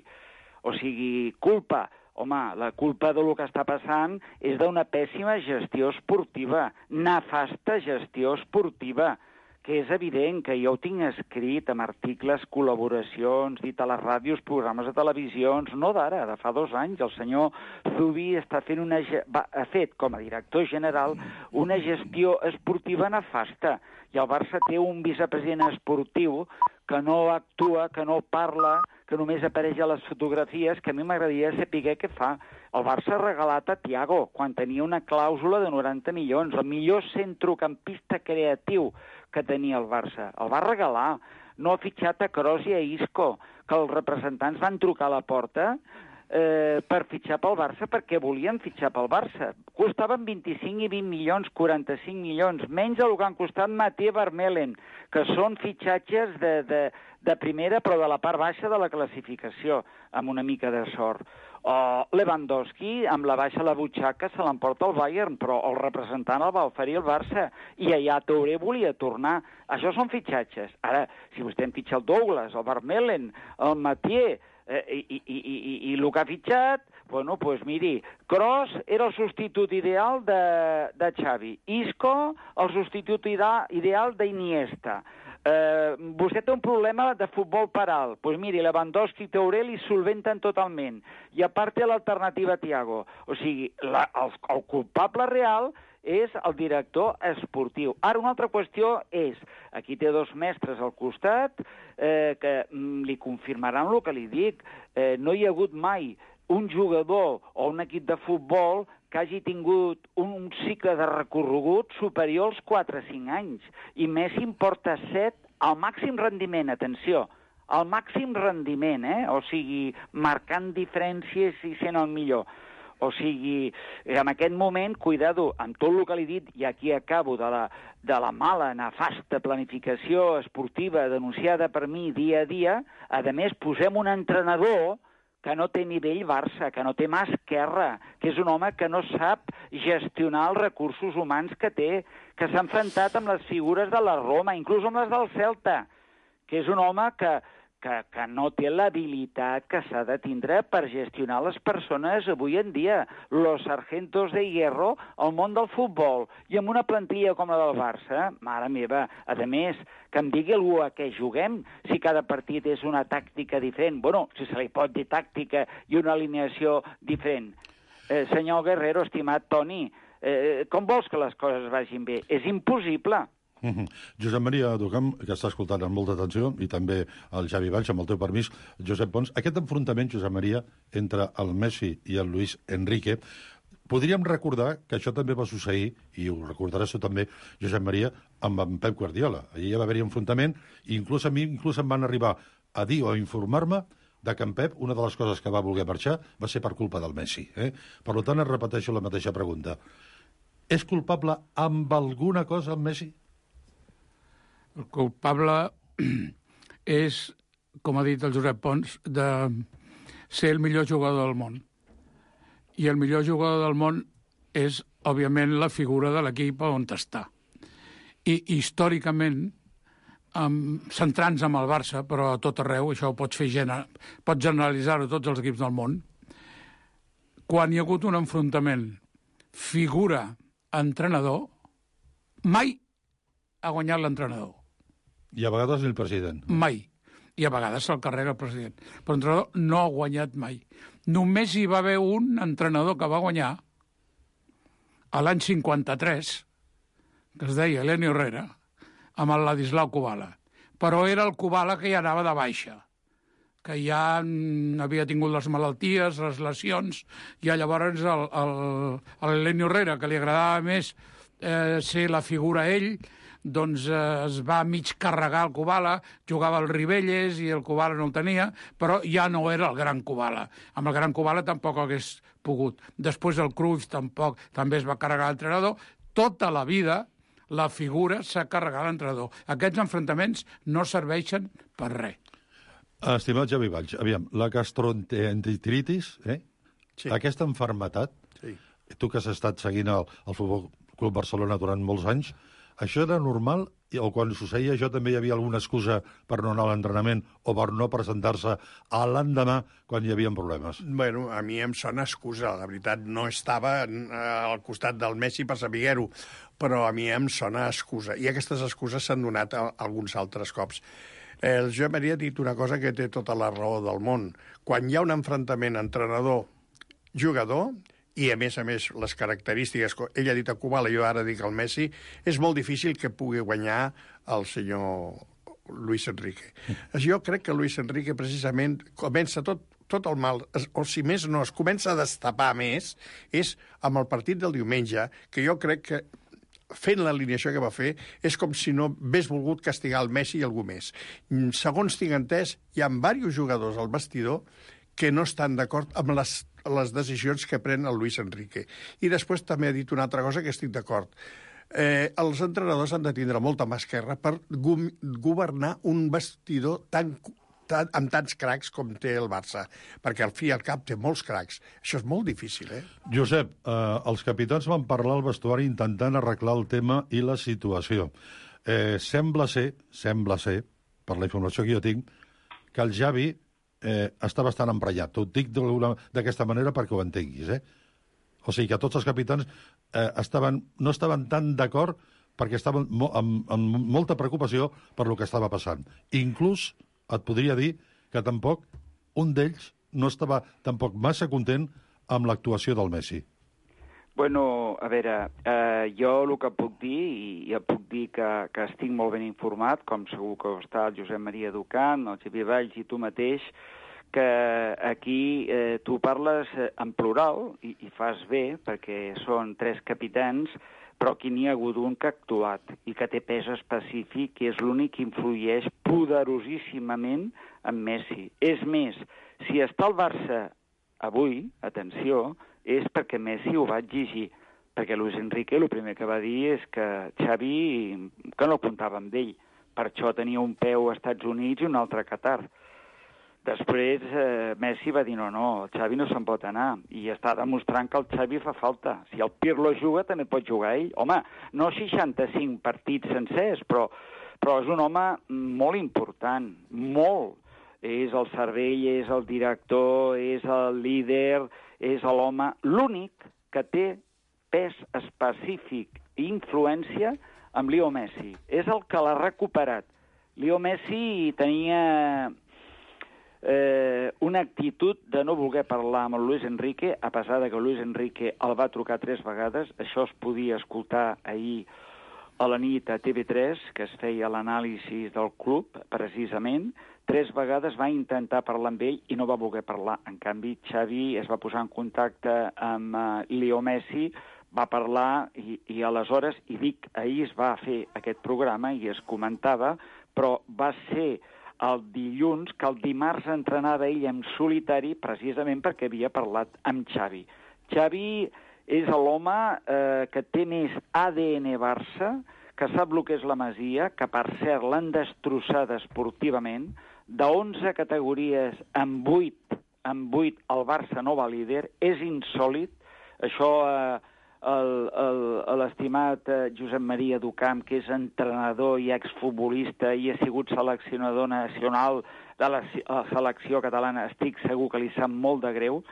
O sigui, culpa. Home, la culpa del que està passant és d'una pèssima gestió esportiva, nefasta gestió esportiva, que és evident que jo ho tinc escrit amb articles, col·laboracions, dit a les ràdios, programes de televisions, no d'ara, de fa 2 anys. El senyor Zubi ha fet, com a director general, una gestió esportiva nefasta. I el Barça té un vicepresident esportiu que no actua, que no parla, que només apareix a les fotografies, que a mi m'agradaria saber què fa. El Barça ha regalat a Thiago, quan tenia una clàusula de 90 milions, el millor centrocampista creatiu que tenia el Barça. El va regalar. No ha fitxat a Kroos i a Isco, que els representants van trucar a la porta per fitxar pel Barça, perquè volien fitxar pel Barça. Costaven 25 i 20 milions, 45 milions, menys del que han costat Mathieu Vermeulen, que són fitxatges de primera, però de la part baixa de la classificació, amb una mica de sort. O Lewandowski, amb la baixa a la butxaca, se l'emporta el Bayern, però el representant el va oferir el Barça, i allà Touré volia tornar. Això són fitxatges. Ara, si vostè en fitxa el Douglas, el Vermeulen, el Mathieu, i el que ha fitxat, bueno, doncs miri, Kroos era el substitut ideal de Xavi, Isco el substitut ideal d'Iniesta. Vostè té un problema de futbol per alt, doncs miri, Lewandowski i Touré li solventen totalment, i a part té l'alternativa Thiago. O sigui, el culpable real és el director esportiu. Ara, una altra qüestió és, aquí té 2 mestres al costat que li confirmaran el que li dic. No hi ha hagut mai un jugador o un equip de futbol que hagi tingut un cicle de recorregut superior als 4 o 5 anys. I Messi en porta 7 al màxim rendiment, atenció, al màxim rendiment, o sigui, marcant diferències i sent el millor. O sigui, en aquest moment, cuidado, amb tot el que li he dit, i aquí acabo, de la mala, nefasta planificació esportiva denunciada per mi dia a dia, a més, posem un entrenador que no té nivell Barça, que no té mà esquerra, que és un home que no sap gestionar els recursos humans que té, que s'ha enfrontat amb les figures de la Roma, inclús amb les del Celta, que és un home que no té l'habilitat que s'ha de tindre per gestionar les persones avui en dia, los sargentos de hierro al món del futbol, i amb una plantilla com la del Barça, mare meva, a més, que em digui algú a què juguem, si cada partit és una tàctica diferent, bueno, si se li pot dir tàctica i una alineació diferent. Senyor Guerrero, estimat Toni, com vols que les coses vagin bé? És impossible. Josep Maria Ducamp, que està escoltant amb molta atenció, i també el Xavi Valls, amb el teu permís, Josep Pons. Aquest enfrontament, Josep Maria, entre el Messi i el Luis Enrique, podríem recordar que això també va succeir, i ho recordaràs tu també, Josep Maria, amb en Pep Guardiola. Allí ja va haver-hi enfrontament, i inclús a mi em van arribar a dir o a informar-me de que en Pep, una de les coses que va voler marxar va ser per culpa del Messi. Per tant, es repeteixo la mateixa pregunta. És culpable amb alguna cosa el Messi? El culpable és, com ha dit el Josep Pons, de ser el millor jugador del món. I el millor jugador del món és, òbviament, la figura de l'equip on està. I històricament, centrant-nos en el Barça, però a tot arreu, això ho pots generalitzar-ho a tots els equips del món, quan hi ha hagut un enfrontament figura-entrenador, mai ha guanyat l'entrenador. I a vegades el president. Mai. I a vegades se'l carrega el president. Però l'entrenador no ha guanyat mai. Només hi va haver un entrenador que va guanyar a l'any 53, que es deia Eleni Herrera, amb el Ladislau Kubala. Però era el Kubala que ja anava de baixa, que ja havia tingut les malalties, les lesions, i llavors l'Eleni Herrera, que li agradava més ser la figura ell, doncs es va mig carregar el Kubala, jugava al Ribelles i el Kubala no el tenia, però ja no era el gran Kubala. Amb el gran Kubala tampoc hagués pogut. Després el Cruyff també es va carregar l'entrenador. Tota la vida la figura s'ha carregat l'entrenador. Aquests enfrontaments no serveixen per res. Estimat Xavi Valls, aviam, la gastroenteritis, Sí. Aquesta malaltia, Sí. tu que has estat seguint el Futbol Club Barcelona durant molts anys, Això era normal? O quan suceïa això també hi havia alguna excusa per no anar a l'entrenament o per no presentar-se a l'endemà quan hi havia problemes? Bueno, a mi em sona excusa. La veritat, no estava al costat del Messi per saber-ho, però a mi em sona excusa. I aquestes excuses s'han donat alguns altres cops. El Josep Maria ha dit una cosa que té tota la raó del món. Quan hi ha un enfrontament entrenador-jugador, i, a més, les característiques... Ell ha dit a Kubala, jo ara dic al Messi, és molt difícil que pugui guanyar el senyor Luis Enrique. Jo crec que Luis Enrique, precisament, comença tot el mal, o si més no, es comença a destapar més, és amb el partit del diumenge, que jo crec que fent l'alineació que va fer, és com si no hagués volgut castigar el Messi i algú més. Segons tinc entès, hi ha diversos jugadors al vestidor que no estan d'acord amb les decisions que pren el Luis Enrique. I després també ha dit una altra cosa que estic d'acord. Els entrenadors han de tindre molta mà esquerra per governar un vestidor amb tants cracs com té el Barça, perquè al fi i al cap té molts cracs. Això és molt difícil, Josep, els capitans van parlar al vestuari intentant arreglar el tema i la situació. Sembla ser, per la informació que jo tinc, que el Xavi està bastant emprenyat. T'ho dic d'aquesta manera perquè ho entenguis, O sigui que tots els capitans no estaven tan d'acord perquè estaven amb molta preocupació per lo que estava passant. Inclús et podria dir que tampoc un d'ells no estava tampoc massa content amb l'actuació del Messi. Bueno, a veure, jo el que puc dir, i puc dir que estic molt ben informat, com segur que ho està el Josep Maria Ducant, el Xavier Valls i tu mateix, que aquí tu parles en plural, i fas bé, perquè són 3 capitans, però aquí n'hi ha hagut un que ha actuat i que té pes específic, que és l'únic que influeix poderosíssimament en Messi. És més, si està al Barça avui, atenció, és perquè Messi ho va exigir, perquè Luis Enrique el primer que va dir és que Xavi, que no comptava amb ell, per això tenia un peu als Estats Units i un altre a Qatar. Després Messi va dir no, el Xavi no se'n pot anar, i està demostrant que el Xavi fa falta. Si el Pirlo juga, també pot jugar ell. Home, no 65 partits sencers, però és un home molt important, molt. És el cervell, és el director, és el líder, és l'home, l'únic que té pes específic i influència amb Leo Messi. És el que l'ha recuperat. Leo Messi tenia una actitud de no voler parlar amb el Luis Enrique, a pesar de que Luis Enrique el va trucar 3 vegades. Això es podia escoltar ahir a la nit a TV3, que es feia l'anàlisi del club, precisament. 3 vegades va intentar parlar amb ell i no va voler parlar. En canvi, Xavi es va posar en contacte amb Leo Messi, va parlar i aleshores, i dic, ahir es va fer aquest programa i es comentava, però va ser el dilluns que el dimarts entrenava ell en solitari precisament perquè havia parlat amb Xavi. Xavi és l'home que té més ADN Barça, que sap el que és la Masia, que per cert l'han destrossada esportivament, de 11 categories en 8 el Barça no va líder, és insòlit. Això l'estimat Josep Maria Ducamp, que és entrenador i exfutbolista i ha sigut seleccionador nacional de la selecció catalana, estic segur que li sap molt de greu,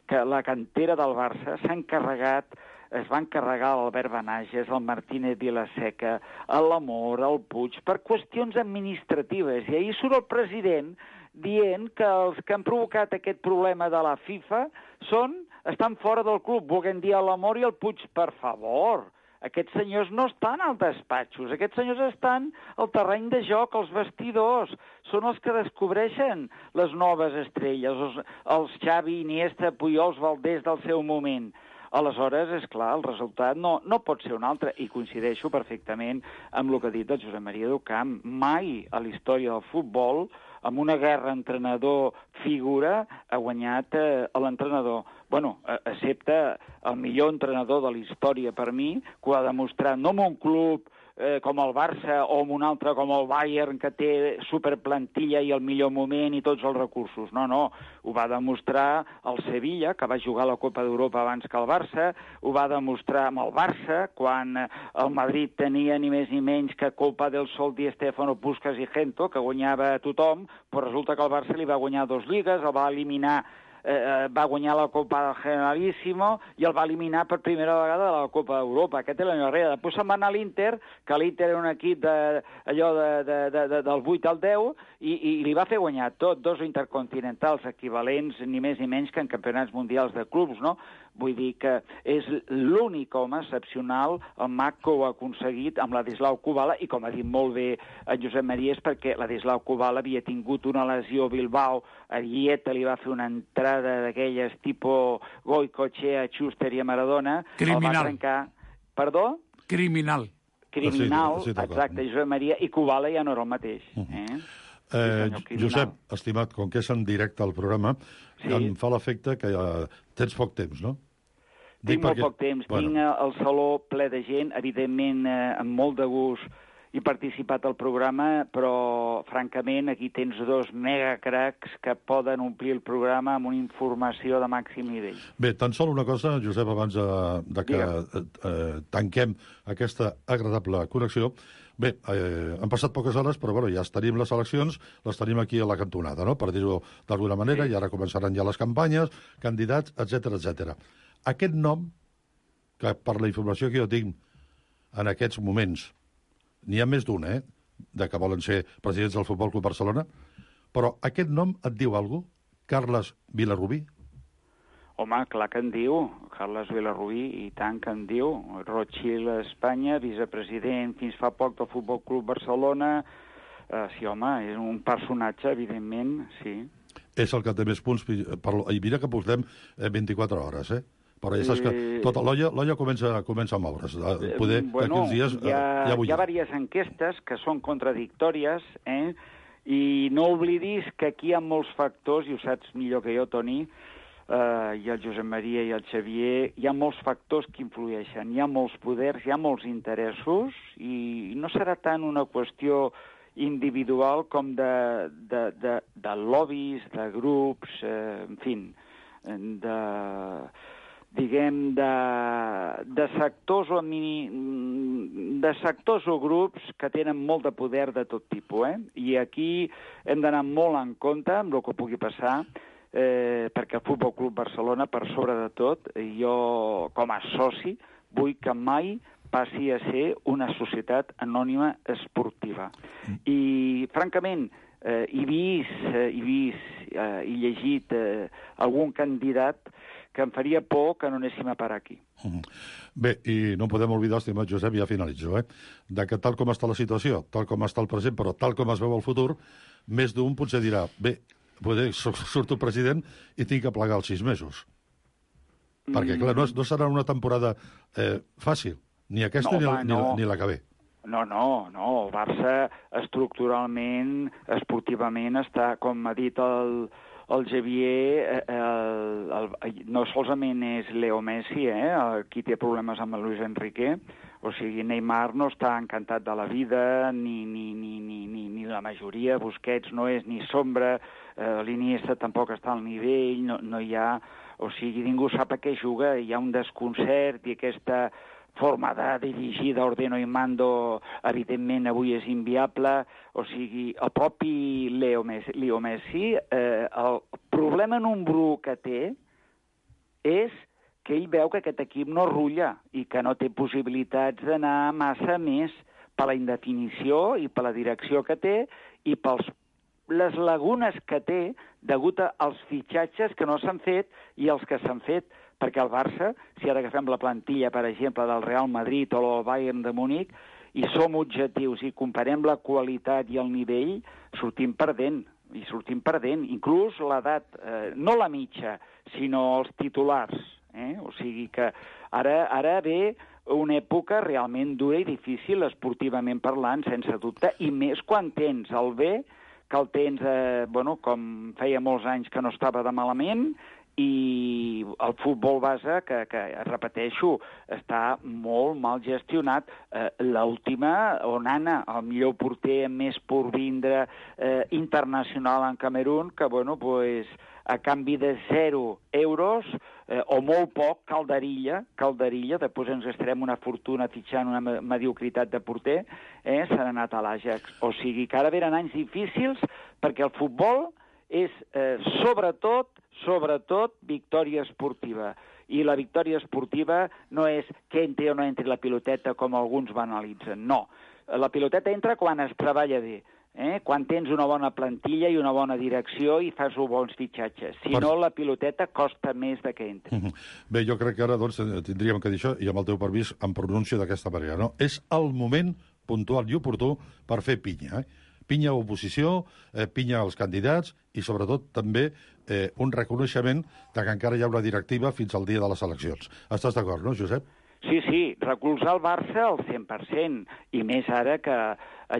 que la cantera del Barça es va encarregar l'Albert Benages, el Martínez Vilaseca, l'Amor, el Puig, per qüestions administratives. I ahir surt el president dient que els que han provocat aquest problema de la FIFA estan fora del club, volent dir l'Amor i el Puig. Per favor, aquests senyors no estan als despatxos, aquests senyors estan al terreny de joc, als vestidors. Són els que descobreixen les noves estrelles, els Xavi, Iniesta, Pujols, Valdés del seu moment. Aleshores, és clar, el resultat no pot ser un altre, i coincideixo perfectament amb el que ha dit el Josep Maria Ducamp. Mai a la història del futbol, amb una guerra entrenador-figura, ha guanyat l'entrenador. Bueno, excepte el millor entrenador de la història per mi, que ho ha demostrat no en un club com el Barça o amb un altre com el Bayern, que té superplantilla i el millor moment i tots els recursos. No, ho va demostrar el Sevilla, que va jugar a la Copa d'Europa abans que el Barça, ho va demostrar amb el Barça, quan el Madrid tenia ni més ni menys que Copa del Sol, Di Stéfano, Puskas i Gento, que guanyava a tothom, però resulta que el Barça li va guanyar 2 lligues, el va eliminar, va guanyar la Copa del Generalíssimo i el va eliminar per primera vegada de la Copa d'Europa. Aquest és l'any darrere. Després se'n va anar a l'Inter, que l'Inter era un equip del 8 al 10, i li va fer guanyar tot, 2 intercontinentals equivalents, ni més ni menys que en campionats mundials de clubs, no? Vull dir que és l'únic home excepcional, el mag, que ho ha aconseguit amb Ladislau Kubala, i com ha dit molt bé en Josep Maria, és perquè Ladislau Kubala havia tingut una lesió a Bilbao, a Dieta li va fer una entrada d'aquelles tipus Goicoechea, Schuster i a Maradona. Criminal. El va trencar... Perdó? Criminal. Criminal, exacte, Josep Maria, i Kubala ja no era el mateix. Josep, estimat, com que és en directe al programa, em fa l'efecte que tens poc temps, no? Tinc molt poc temps. Tinc el saló ple de gent, evidentment amb molt de gust he participat al programa, però francament aquí tens 2 megacracs que poden omplir el programa amb una informació de màxim nivell. Bé, tan sol una cosa, Josep, abans de que tanquem aquesta agradable connexió. Bé, han passat poques hores, però bueno, ja tenim les eleccions, les tenim aquí a la cantonada, no?, per dir-ho d'alguna manera, i ara començaran ja les campanyes, candidats, etc. Aquest nom, que per la informació que jo tinc en aquests moments, n'hi ha més d'un, de que volen ser presidents del Futbol Club Barcelona, però aquest nom et diu alguna cosa? Carles Vilarrubí? Home, clar que en diu, Carles Vilarrubí, i tant que en diu. Rothschild a Espanya, vicepresident fins fa poc del Futbol Club Barcelona. Sí, home, és un personatge, evidentment, sí. És el que té més punts, i mira que portem 24 hores, però ja saps que tota l'olla comença a moure's. Poder d'aquí uns dies hi ha diverses enquestes que són contradictòries, i no oblidis que aquí hi ha molts factors, i ho saps millor que jo, Toni, i el Josep Maria i el Xavier, hi ha molts factors que influeixen, hi ha molts poders, hi ha molts interessos, i no serà tant una qüestió individual com de lobbies, de grups, en fi, de sectors o grups que tenen molt de poder de tot tipus, i aquí hem d'anar molt en compte amb el que pugui passar, perquè el Futbol Club Barcelona, per sobre de tot, jo com a soci vull que mai passi a ser una societat anònima esportiva. I, francament, he vist i llegit algun candidat que em faria por que no anéssim a parar aquí. Bé, i no podem oblidar, estimat Josep, ja finalitzo, de que tal com està la situació, tal com està el present, però tal com es veu el futur, més d'un potser dirà, bé, surto president i tinc que plegar els 6 mesos. Perquè, clar, no serà una temporada fàcil, ni aquesta ni la que ve. No, el Barça estructuralment, esportivament, està, com ha dit el Xavier, no solament és Leo Messi, qui té problemes amb el Luis Enrique, o sigui, Neymar no està encantat de la vida, ni la majoria, Busquets no és ni sombra, l'Iniesta tampoc està al nivell, no hi ha... O sigui, ningú sap a què juga, hi ha un desconcert i aquesta forma de dirigir d'ordeno i mando, evidentment, avui és inviable. O sigui, el propi Leo Messi, el problema número que té és que ell veu que aquest equip no rulla i que no té possibilitats d'anar massa més per la indefinició i per la direcció que té i per les lagunes que té degut als fitxatges que no s'han fet i els que s'han fet, perquè el Barça, si ara agafem la plantilla, per exemple, del Real Madrid o el Bayern de Múnich, i som objectius i comparem la qualitat i el nivell, sortim perdent. Inclús l'edat, no la mitja, sinó els titulars. O sigui que ara ve una època realment dura i difícil, esportivament parlant, sense dubte, i més quan tens el B, que el tens, com feia molts anys que no estava de malament, i el futbol base, que repeteixo, està molt mal gestionat. L'última, Onana, el millor porter amb més porvindre internacional en Camerún, que, bueno, pues, a canvi de 0 euros, o molt poc, Calderilla, després ens gastarem una fortuna fitxant una mediocritat de porter, s'ha anat a l'Ajax. O sigui que ara venen anys difícils perquè el futbol és sobretot victòria esportiva. I la victòria esportiva no és que entri o no entri la piloteta com alguns banalitzen, no. La piloteta entra quan es treballa bé, quan tens una bona plantilla i una bona direcció i fas bons fitxatges. Si no, la piloteta costa més de que entri. Bé, jo crec que ara doncs, tindríem que dir això, i amb el teu permís em pronuncio d'aquesta manera, no? És el moment puntual i oportú per fer pinya, pinya a oposició, pinya als candidats i, sobretot, també un reconeixement que encara hi ha una directiva fins al dia de les eleccions. Estàs d'acord, no, Josep? Sí, recolzar el Barça al 100%, i més ara que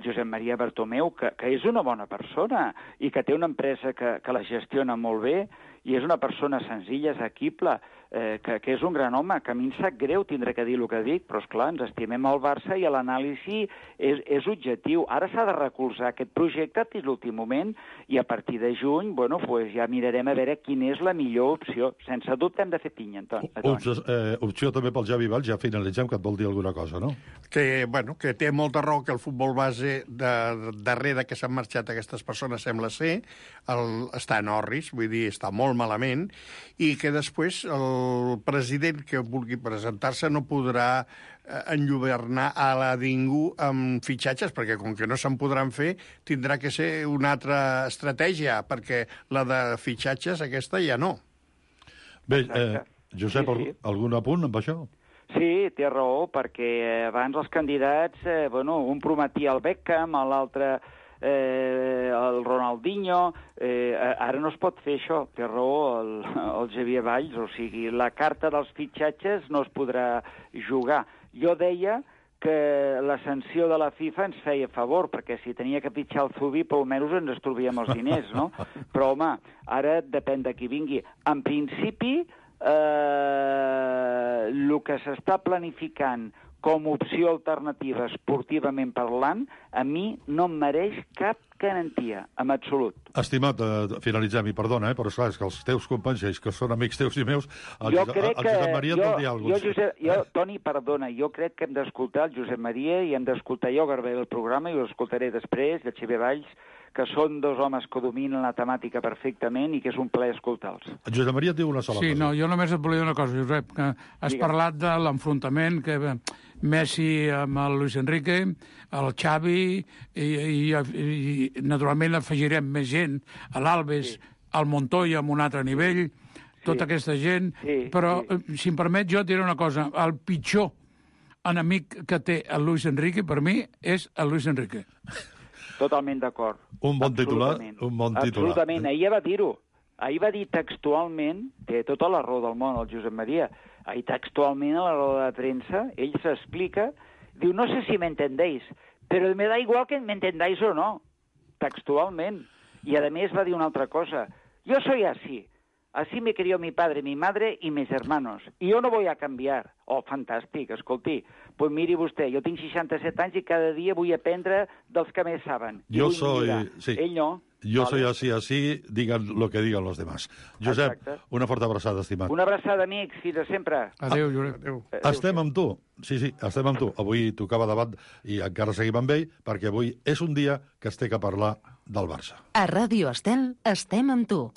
Josep Maria Bartomeu, que és una bona persona i que té una empresa que la gestiona molt bé i és una persona senzilla, assequible, que és un gran home, que a mi em sap greu tindré que dir el que dic, però esclar, ens estimem el Barça i l'anàlisi és objectiu. Ara s'ha de recolzar aquest projecte fins l'últim moment i a partir de juny, bueno, pues ja mirarem a veure quina és la millor opció. Sense dubte hem de fer pinya, Antoni. Opció també pel Javi Valls, ja finalitzem, que et vol dir alguna cosa, no? Que té molta raó que el futbol base, darrere que s'han marxat aquestes persones, sembla ser, està en orris, vull dir, està molt malament, i que després el president que vulgui presentar-se no podrà enlluernar a la ningú amb fitxatges, perquè com que no se'n podran fer, tindrà que ser una altra estratègia, perquè la de fitxatges aquesta ja no. Bé, Josep, algun apunt amb això? Sí, té raó, perquè abans els candidats, un prometia el Beckham, l'altre el Ronaldinho, ara no es pot fer això, té raó el Javier Valls, o sigui, la carta dels fitxatges no es podrà jugar. Jo deia que la sanció de la FIFA ens feia favor, perquè si tenia que fitxar el Zubi, per almenys ens estalviem els diners, no? Però, home, ara depèn de qui vingui. En principi, el que s'està planificant com a opció alternativa esportivament parlant, a mi no em mereix cap garantia, en absolut. Estimat, finalitzem, i perdona, però esclar, és que els teus companys, que són amics teus i meus, el Josep Maria et vol dir alguna cosa. Toni, perdona, jo crec que hem d'escoltar el Josep Maria i hem d'escoltar, jo agradaré el programa i ho escoltaré després, el Xavier Valls, que són dos homes que dominen la temàtica perfectament i que és un plaer escoltar-los. Josep Maria et diu una sola cosa. Sí, no, jo només et volia dir una cosa, Josep, que has parlat de l'enfrontament que Messi amb el Luis Enrique, el Xavi, i naturalment afegirem més gent, l'Alves, el Montoya amb un altre nivell, tota aquesta gent, però, si em permet, jo et diré una cosa, el pitjor enemic que té el Luis Enrique, per mi, és el Luis Enrique. Totalment d'acord. Un bon titular. Absolutament, ahir va dir-ho. Ahir va dir textualment, té tota la raó del món el Josep Maria, ahir textualment a la roda de premsa, ell s'explica, diu, no sé si m'entendéis, però me da igual que m'entendáis o no, textualment. I a més va dir una altra cosa, yo soy así me crió mi padre, mi madre y mis hermanos, y yo no voy a cambiar. Oh, fantàstic, escolti, pues miri vostè, jo tinc 67 anys i cada dia vull aprendre dels que més saben. Yo soy... Sí. Ell no. Yo soy así, digan lo que digan los demás. Josep, una forta abraçada, estimat. Una abraçada, amics, fins a sempre. Adéu, Josep. Adéu. Estem amb tu. Sí, estem amb tu. Avui tocava debat i encara seguim amb ell, perquè avui és un dia que es té que parlar del Barça. A Ràdio Estel estem amb tu.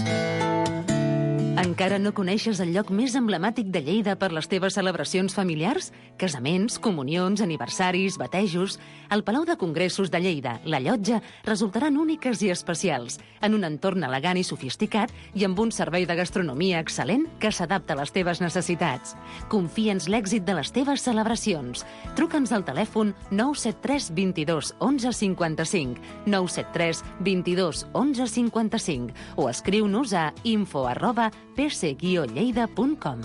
Encara no coneixes el lloc més emblemàtic de Lleida per les teves celebracions familiars? Casaments, comunions, aniversaris, batejos... El Palau de Congressos de Lleida, la Llotja, resultaran úniques i especials, en un entorn elegant i sofisticat i amb un servei de gastronomia excel·lent que s'adapta a les teves necessitats. Confia'ns l'èxit de les teves celebracions. Truca'ns al telèfon 973 22 11 55, 973 22 11 55 o escriu-nos a info@pc-lleida.com.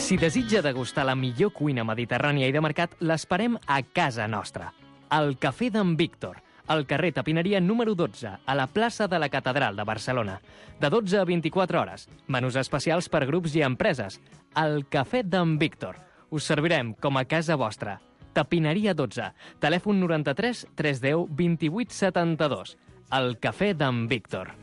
Si desitja degustar la millor cuina mediterrània i de mercat, l'esperem a casa nostra. El Cafè d'en Víctor, al carrer Tapineria número 12, a la plaça de la Catedral de Barcelona. De 12 a 24 hores. Menús especials per grups i empreses. El Cafè d'en Víctor. Us servirem com a casa vostra. Tapineria 12. Telèfon 93 310 28 72. El Cafè d'en Víctor.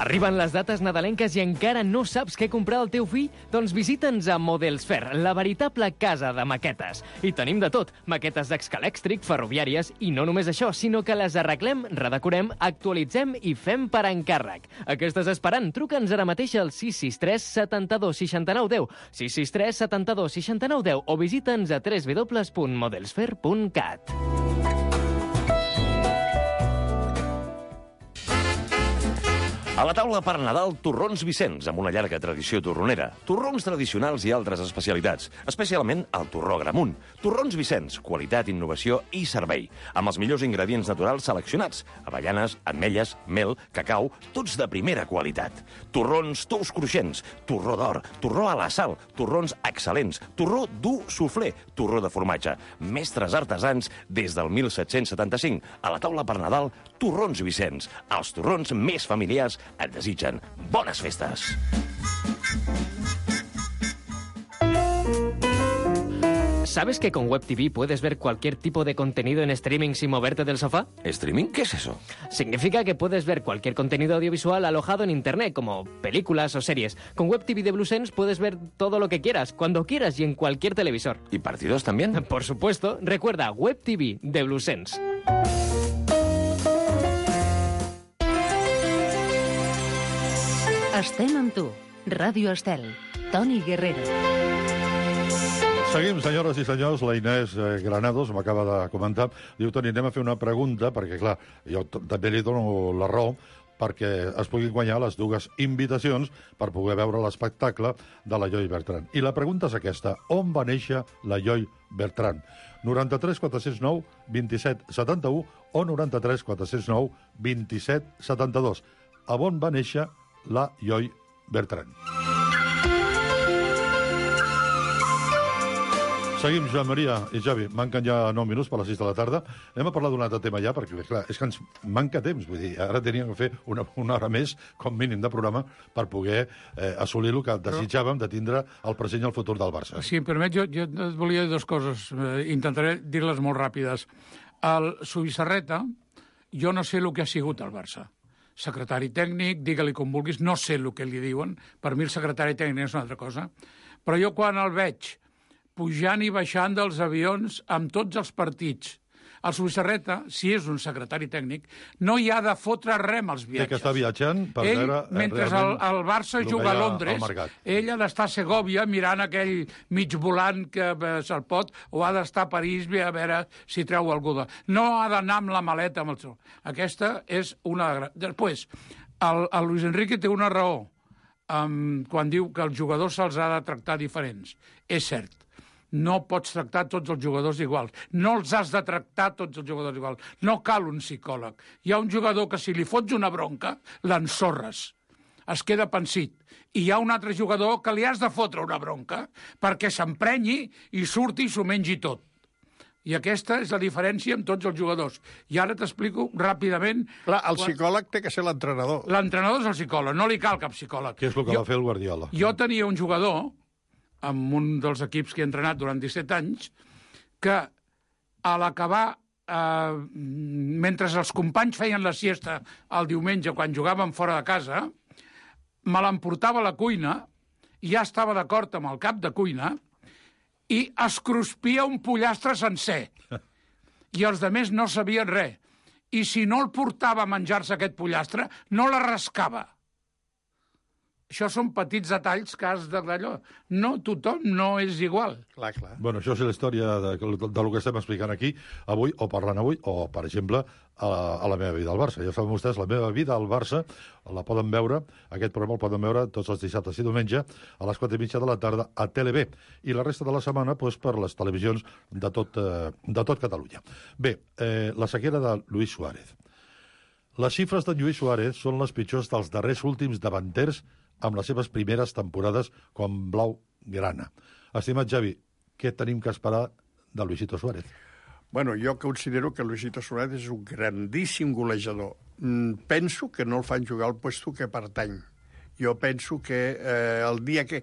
Arriben les dates nadalenques i encara no saps què comprar al teu fill? Doncs visita'ns a Models Fair, la veritable casa de maquetes. I tenim de tot, maquetes d'escalèxtric, ferroviàries, i no només això, sinó que les arreglem, redecorem, actualitzem i fem per encàrrec. A què estàs esperant? Truca'ns ara mateix al 663 72 69 10, 663 72 69 10 o visita'ns a www.modelsfair.cat. A la taula per Nadal, torrons Vicenç, amb una llarga tradició torronera. Torrons tradicionals i altres especialitats, especialment el torró Gramunt. Torrons Vicenç, qualitat, innovació i servei, amb els millors ingredients naturals seleccionats. Avellanes, ametlles, mel, cacau, tots de primera qualitat. Torrons tous cruixents, torró d'or, torró a la sal, torrons excel·lents, torró dur soufflé, torró de formatge. Mestres artesans des del 1775. A la taula per Nadal, torrons Vicenç. Els torrons més familiars et desitgen bones festes. ¿Sabes que con Web TV puedes ver cualquier tipo de contenido en streaming sin moverte del sofá? ¿Streaming? ¿Qué es eso? Significa que puedes ver cualquier contenido audiovisual alojado en Internet, como películas o series. Con Web TV de BlueSense puedes ver todo lo que quieras, cuando quieras y en cualquier televisor. ¿Y partidos también? Por supuesto. Recuerda, Web TV de BlueSense. Estem amb tu. Ràdio Estel. Toni Guerrero. Seguim, senyores i senyors. La Inés Granados m'acaba de comentar. Diu, Toni, anem a fer una pregunta, perquè, clar, jo també li dono la raó, perquè es puguin guanyar les dues invitacions per poder veure l'espectacle de la Joy Bertran. I la pregunta és aquesta. On va néixer la Joy Bertran? 93 409 27 71 o 93 409 27 72. A on va néixer la Joy Bertran? Seguim, Joan Maria i Javi. Manquen ja 9 minuts per les 6 de la tarda. Anem a parlar d'un altre tema ja, perquè, clar, és que ens manca temps. Vull dir, ara teníem que fer una hora més, com mínim, de programa per poder assolir el que desitjàvem de tindre el present i el futur del Barça. Si em permet, jo et volia dir dues coses. Intentaré dir-les molt ràpides. El Subissarreta, jo no sé el que ha sigut el Barça. Secretari tècnic, digue-li com vulguis, no sé el que li diuen. Per mi el secretari tècnic és una altra cosa. Però jo quan el veig pujant i baixant dels avions amb tots els partits, el Subissarreta, si és un secretari tècnic, no hi ha de fotre res amb els viatges. Que està viatjant per veure... Mentre el Barça juga a Londres, ell ha d'estar a Segòvia mirant aquell mig volant que se'l pot, o ha d'estar a París a veure si treu algú. No ha d'anar amb la maleta amb el seu. Aquesta és una... Després, el Luis Enrique té una raó quan diu que els jugadors se'ls ha de tractar diferents. És cert. No pots tractar tots els jugadors iguals. No els has de tractar tots els jugadors iguals. No cal un psicòleg. Hi ha un jugador que si li fots una bronca, l'ensorres. Es queda pensit. I hi ha un altre jugador que li has de fotre una bronca perquè s'emprenyi i surti i s'ho mengi tot. I aquesta és la diferència amb tots els jugadors. I ara t'explico ràpidament... Clar, el psicòleg té que ser l'entrenador. L'entrenador és el psicòleg, no li cal cap psicòleg. Què és el que va fer el Guardiola? Jo tenia un jugador amb un dels equips que he entrenat durant 17 anys, que a l'acabar, mentre els companys feien la siesta el diumenge, quan jugàvem fora de casa, me l'emportava a la cuina, ja estava d'acord amb el cap de cuina, i es cruspia un pollastre sencer. I els altres no sabien res. I si no el portava a menjar-se aquest pollastre, no la rascava. Això són petits detalls que has d'allò. No, tothom no és igual. Clar, clar. Bueno, això és la història de lo que estem explicant aquí, avui, o parlant avui, o, per exemple, a la meva vida al Barça. Ja saben vostès, la meva vida al Barça la poden veure, aquest programa el poden veure tots els dissabtes i diumenge a les 4:30 de la tarda a TeleB. I la resta de la setmana doncs, per les televisions de tot Catalunya. Bé, la sequera de Luis Suárez. Les xifres de Lluís Suárez són les pitjors dels darrers últims davanters amb les seves primeres temporades com blau-grana. Estimat Javi, què tenim que esperar de Luisito Suárez. Bueno, jo considero que Luisito Suárez és un grandíssim golejador. Penso que no el fan jugar al puesto que pertany. Jo penso que el dia que...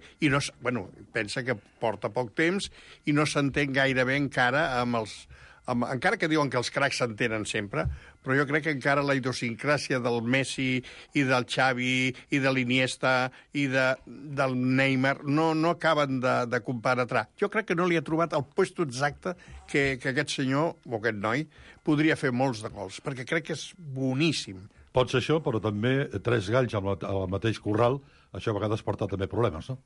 pensa que porta poc temps i no s'entén gaire bé encara amb els... encara que diuen que els cracs s'entenen sempre, però jo crec que encara la idiosincràsia del Messi i del Xavi i de l'Iniesta i del Neymar no acaben de compenetrar. Jo crec que no li ha trobat el puesto exacte que aquest senyor, o aquest noi, podria fer molts de gols, perquè crec que és boníssim. Pot ser això, però també 3 galls al mateix corral, això a vegades porta també problemes, no?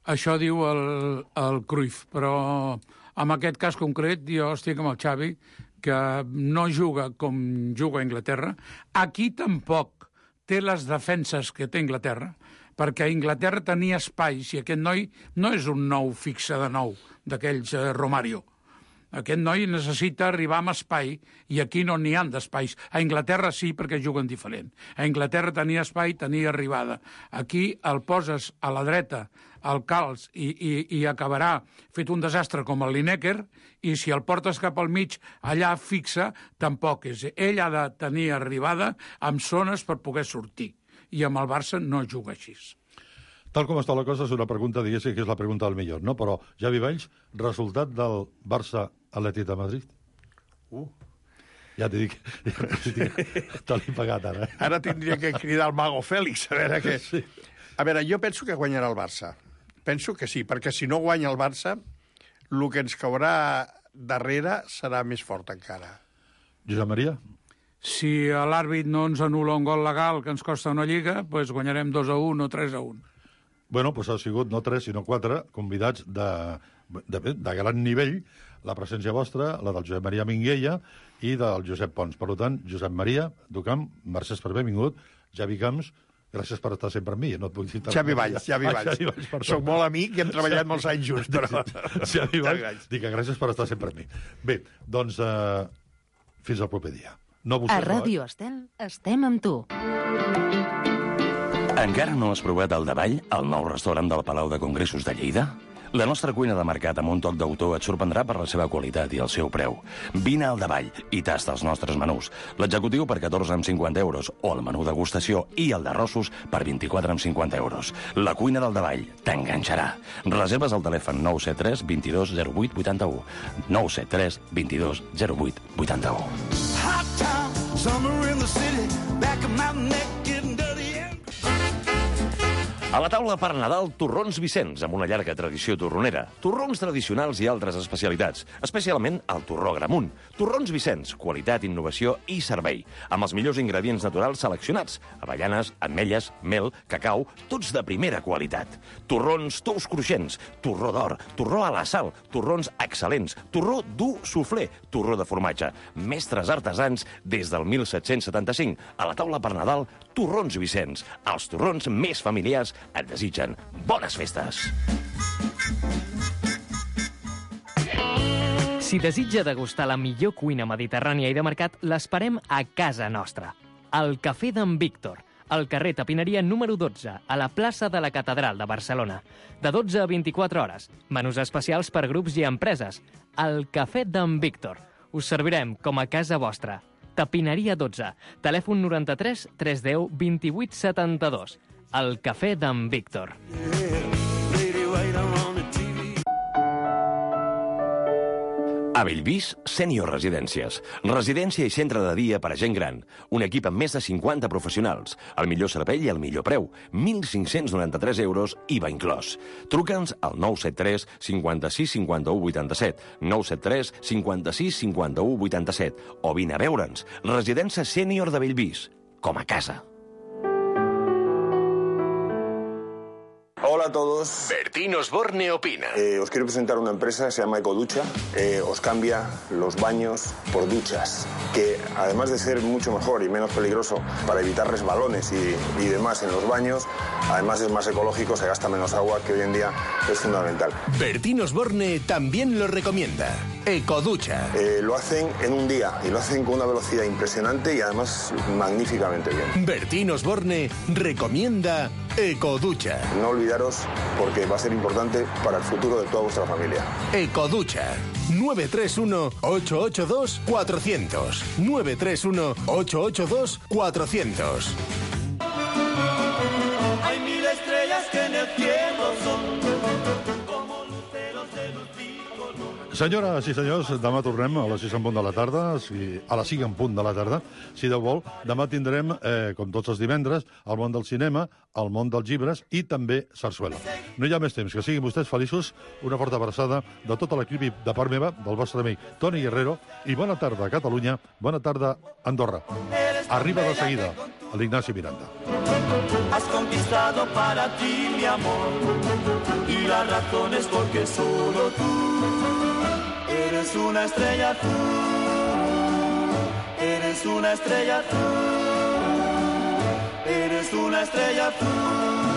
Això diu el Cruyff, però en aquest cas concret jo estic amb el Xavi, que no juga com juga a Anglaterra. Aquí tampoc té les defenses que té Anglaterra, perquè a Anglaterra tenia espais i aquest noi no és un nou fixe de nou, d'aquells Romario. Aquest noi necessita arribar amb espai i aquí no n'hi ha d'espais. A Anglaterra sí, perquè juguen diferent. A Anglaterra tenia espai, tenia arribada. Aquí el poses a la dreta, el calç i acabarà fet un desastre com el Lineker, i si el portes cap al mig, allà fixa, tampoc és. Ell ha de tenir arribada amb zones per poder sortir. I amb el Barça no juga així. Tal com està la cosa, és una pregunta, diguéssim, que és la pregunta del millor, no? Però, Javi Valls, resultat del Barça-Atlètic de Madrid? Ja t'he dit que te l'he pagat, ara. Ara tindria que cridar el Mago Fèlix, a veure què... Sí. A veure, jo penso que guanyarà el Barça. Penso que sí, perquè si no guanya el Barça, el que ens caurà darrere serà més fort encara. Josep Maria? Si l'àrbit no ens anul·la un gol legal que ens costa una lliga, doncs guanyarem 2-1 o 3-1. Bueno, doncs ha sigut no 3, sinó 4 convidats de gran nivell, la presència vostra, la del Josep Maria Minguella i del Josep Pons. Per tant, Josep Maria Ducamp, mercès per haver vingut. Javi Camps, gràcies per estar sempre amb mi. No et puc dir Xavi Valls. Soc molt amic i hem treballat molts anys junts, però... Xavi Valls, dic que gràcies per estar sempre amb mi. Bé, doncs, fins al proper dia. A Ràdio Estel estem amb tu. Encara no has provat el Davall, el nou restaurant del Palau de Congressos de Lleida? La nostra cuina de mercat amb un toc d'autor et sorprendrà per la seva qualitat i el seu preu. Vine al Davall i tasta els nostres menús. L'executiu per 14,50 euros o el menú degustació i el d'arrossos per 24,50 euros. La cuina del Davall t'enganxarà. Reserves al telèfon 973 22 08 81. 973 22 08 81. Hot town, summer in the city, back of my neck getting dirty. A la taula per Nadal, torrons Vicenç, amb una llarga tradició torronera. Torrons tradicionals i altres especialitats, especialment el torró Gramunt. Torrons Vicenç, qualitat, innovació i servei. Amb els millors ingredients naturals seleccionats. Avellanes, ametlles, mel, cacau, tots de primera qualitat. Torrons tous cruixents, torró d'or, torró a la sal, torrons excel·lents, torró dur suflé, torró de formatge. Mestres artesans des del 1775. A la taula per Nadal, torrons Vicenç. Els torrons més familiars et desitgen bones festes. Si desitja degustar la millor cuina mediterrània i de mercat, l'esperem a casa nostra. Al Cafè d'en Víctor, al carrer Tapineria número 12, a la plaça de la Catedral de Barcelona. De 12 a 24 hores. Menús especials per grups i empreses. Al Cafè d'en Víctor. Us servirem com a casa vostra. Tapineria 12. Telèfon 93 310 28 72. El Cafè d'en Víctor. A Bellvís, Sènior Residències. Residència i centre de dia per a gent gran. Un equip amb més de 50 professionals. El millor servei i el millor preu. 1.593 euros, IVA inclòs. Truca'ns al 973 56 51 87. 973 56 51 87. O vine a veure'ns. Residència Sènior de Bellvís. Com a casa. Hola a todos. Bertín Osborne opina. Os quiero presentar una empresa que se llama Ecoducha. Os cambia los baños por duchas, que además de ser mucho mejor y menos peligroso para evitar resbalones y demás en los baños, además es más ecológico, se gasta menos agua, que hoy en día es fundamental. Bertín Osborne también lo recomienda. Ecoducha. Lo hacen en un día y lo hacen con una velocidad impresionante y además magníficamente bien. Bertín Osborne recomienda Ecoducha. No olvidaros porque va a ser importante para el futuro de toda vuestra familia. Ecoducha. 931-882-400. 931-882-400. Hay 1000 estrellas que en el cielo son como luceros de luz bicolor. Senyores i senyors, demà tornem a les 6 en punt de la tarda, a les 5 en punt de la tarda, si Déu vol. Demà tindrem, com tots els divendres, el món del cinema, el món dels llibres i també sarsuela. No hi ha més temps, que siguin vostès feliços, una forta abraçada de tota l'equip de part meva, del vostre amic Toni Guerrero, i bona tarda, Catalunya, bona tarda, Andorra. Arriba de seguida l'Ignasi Miranda. Has conquistado para ti mi amor y la razón es porque solo tú eres una estrella azul, eres una estrella azul, eres una estrella azul.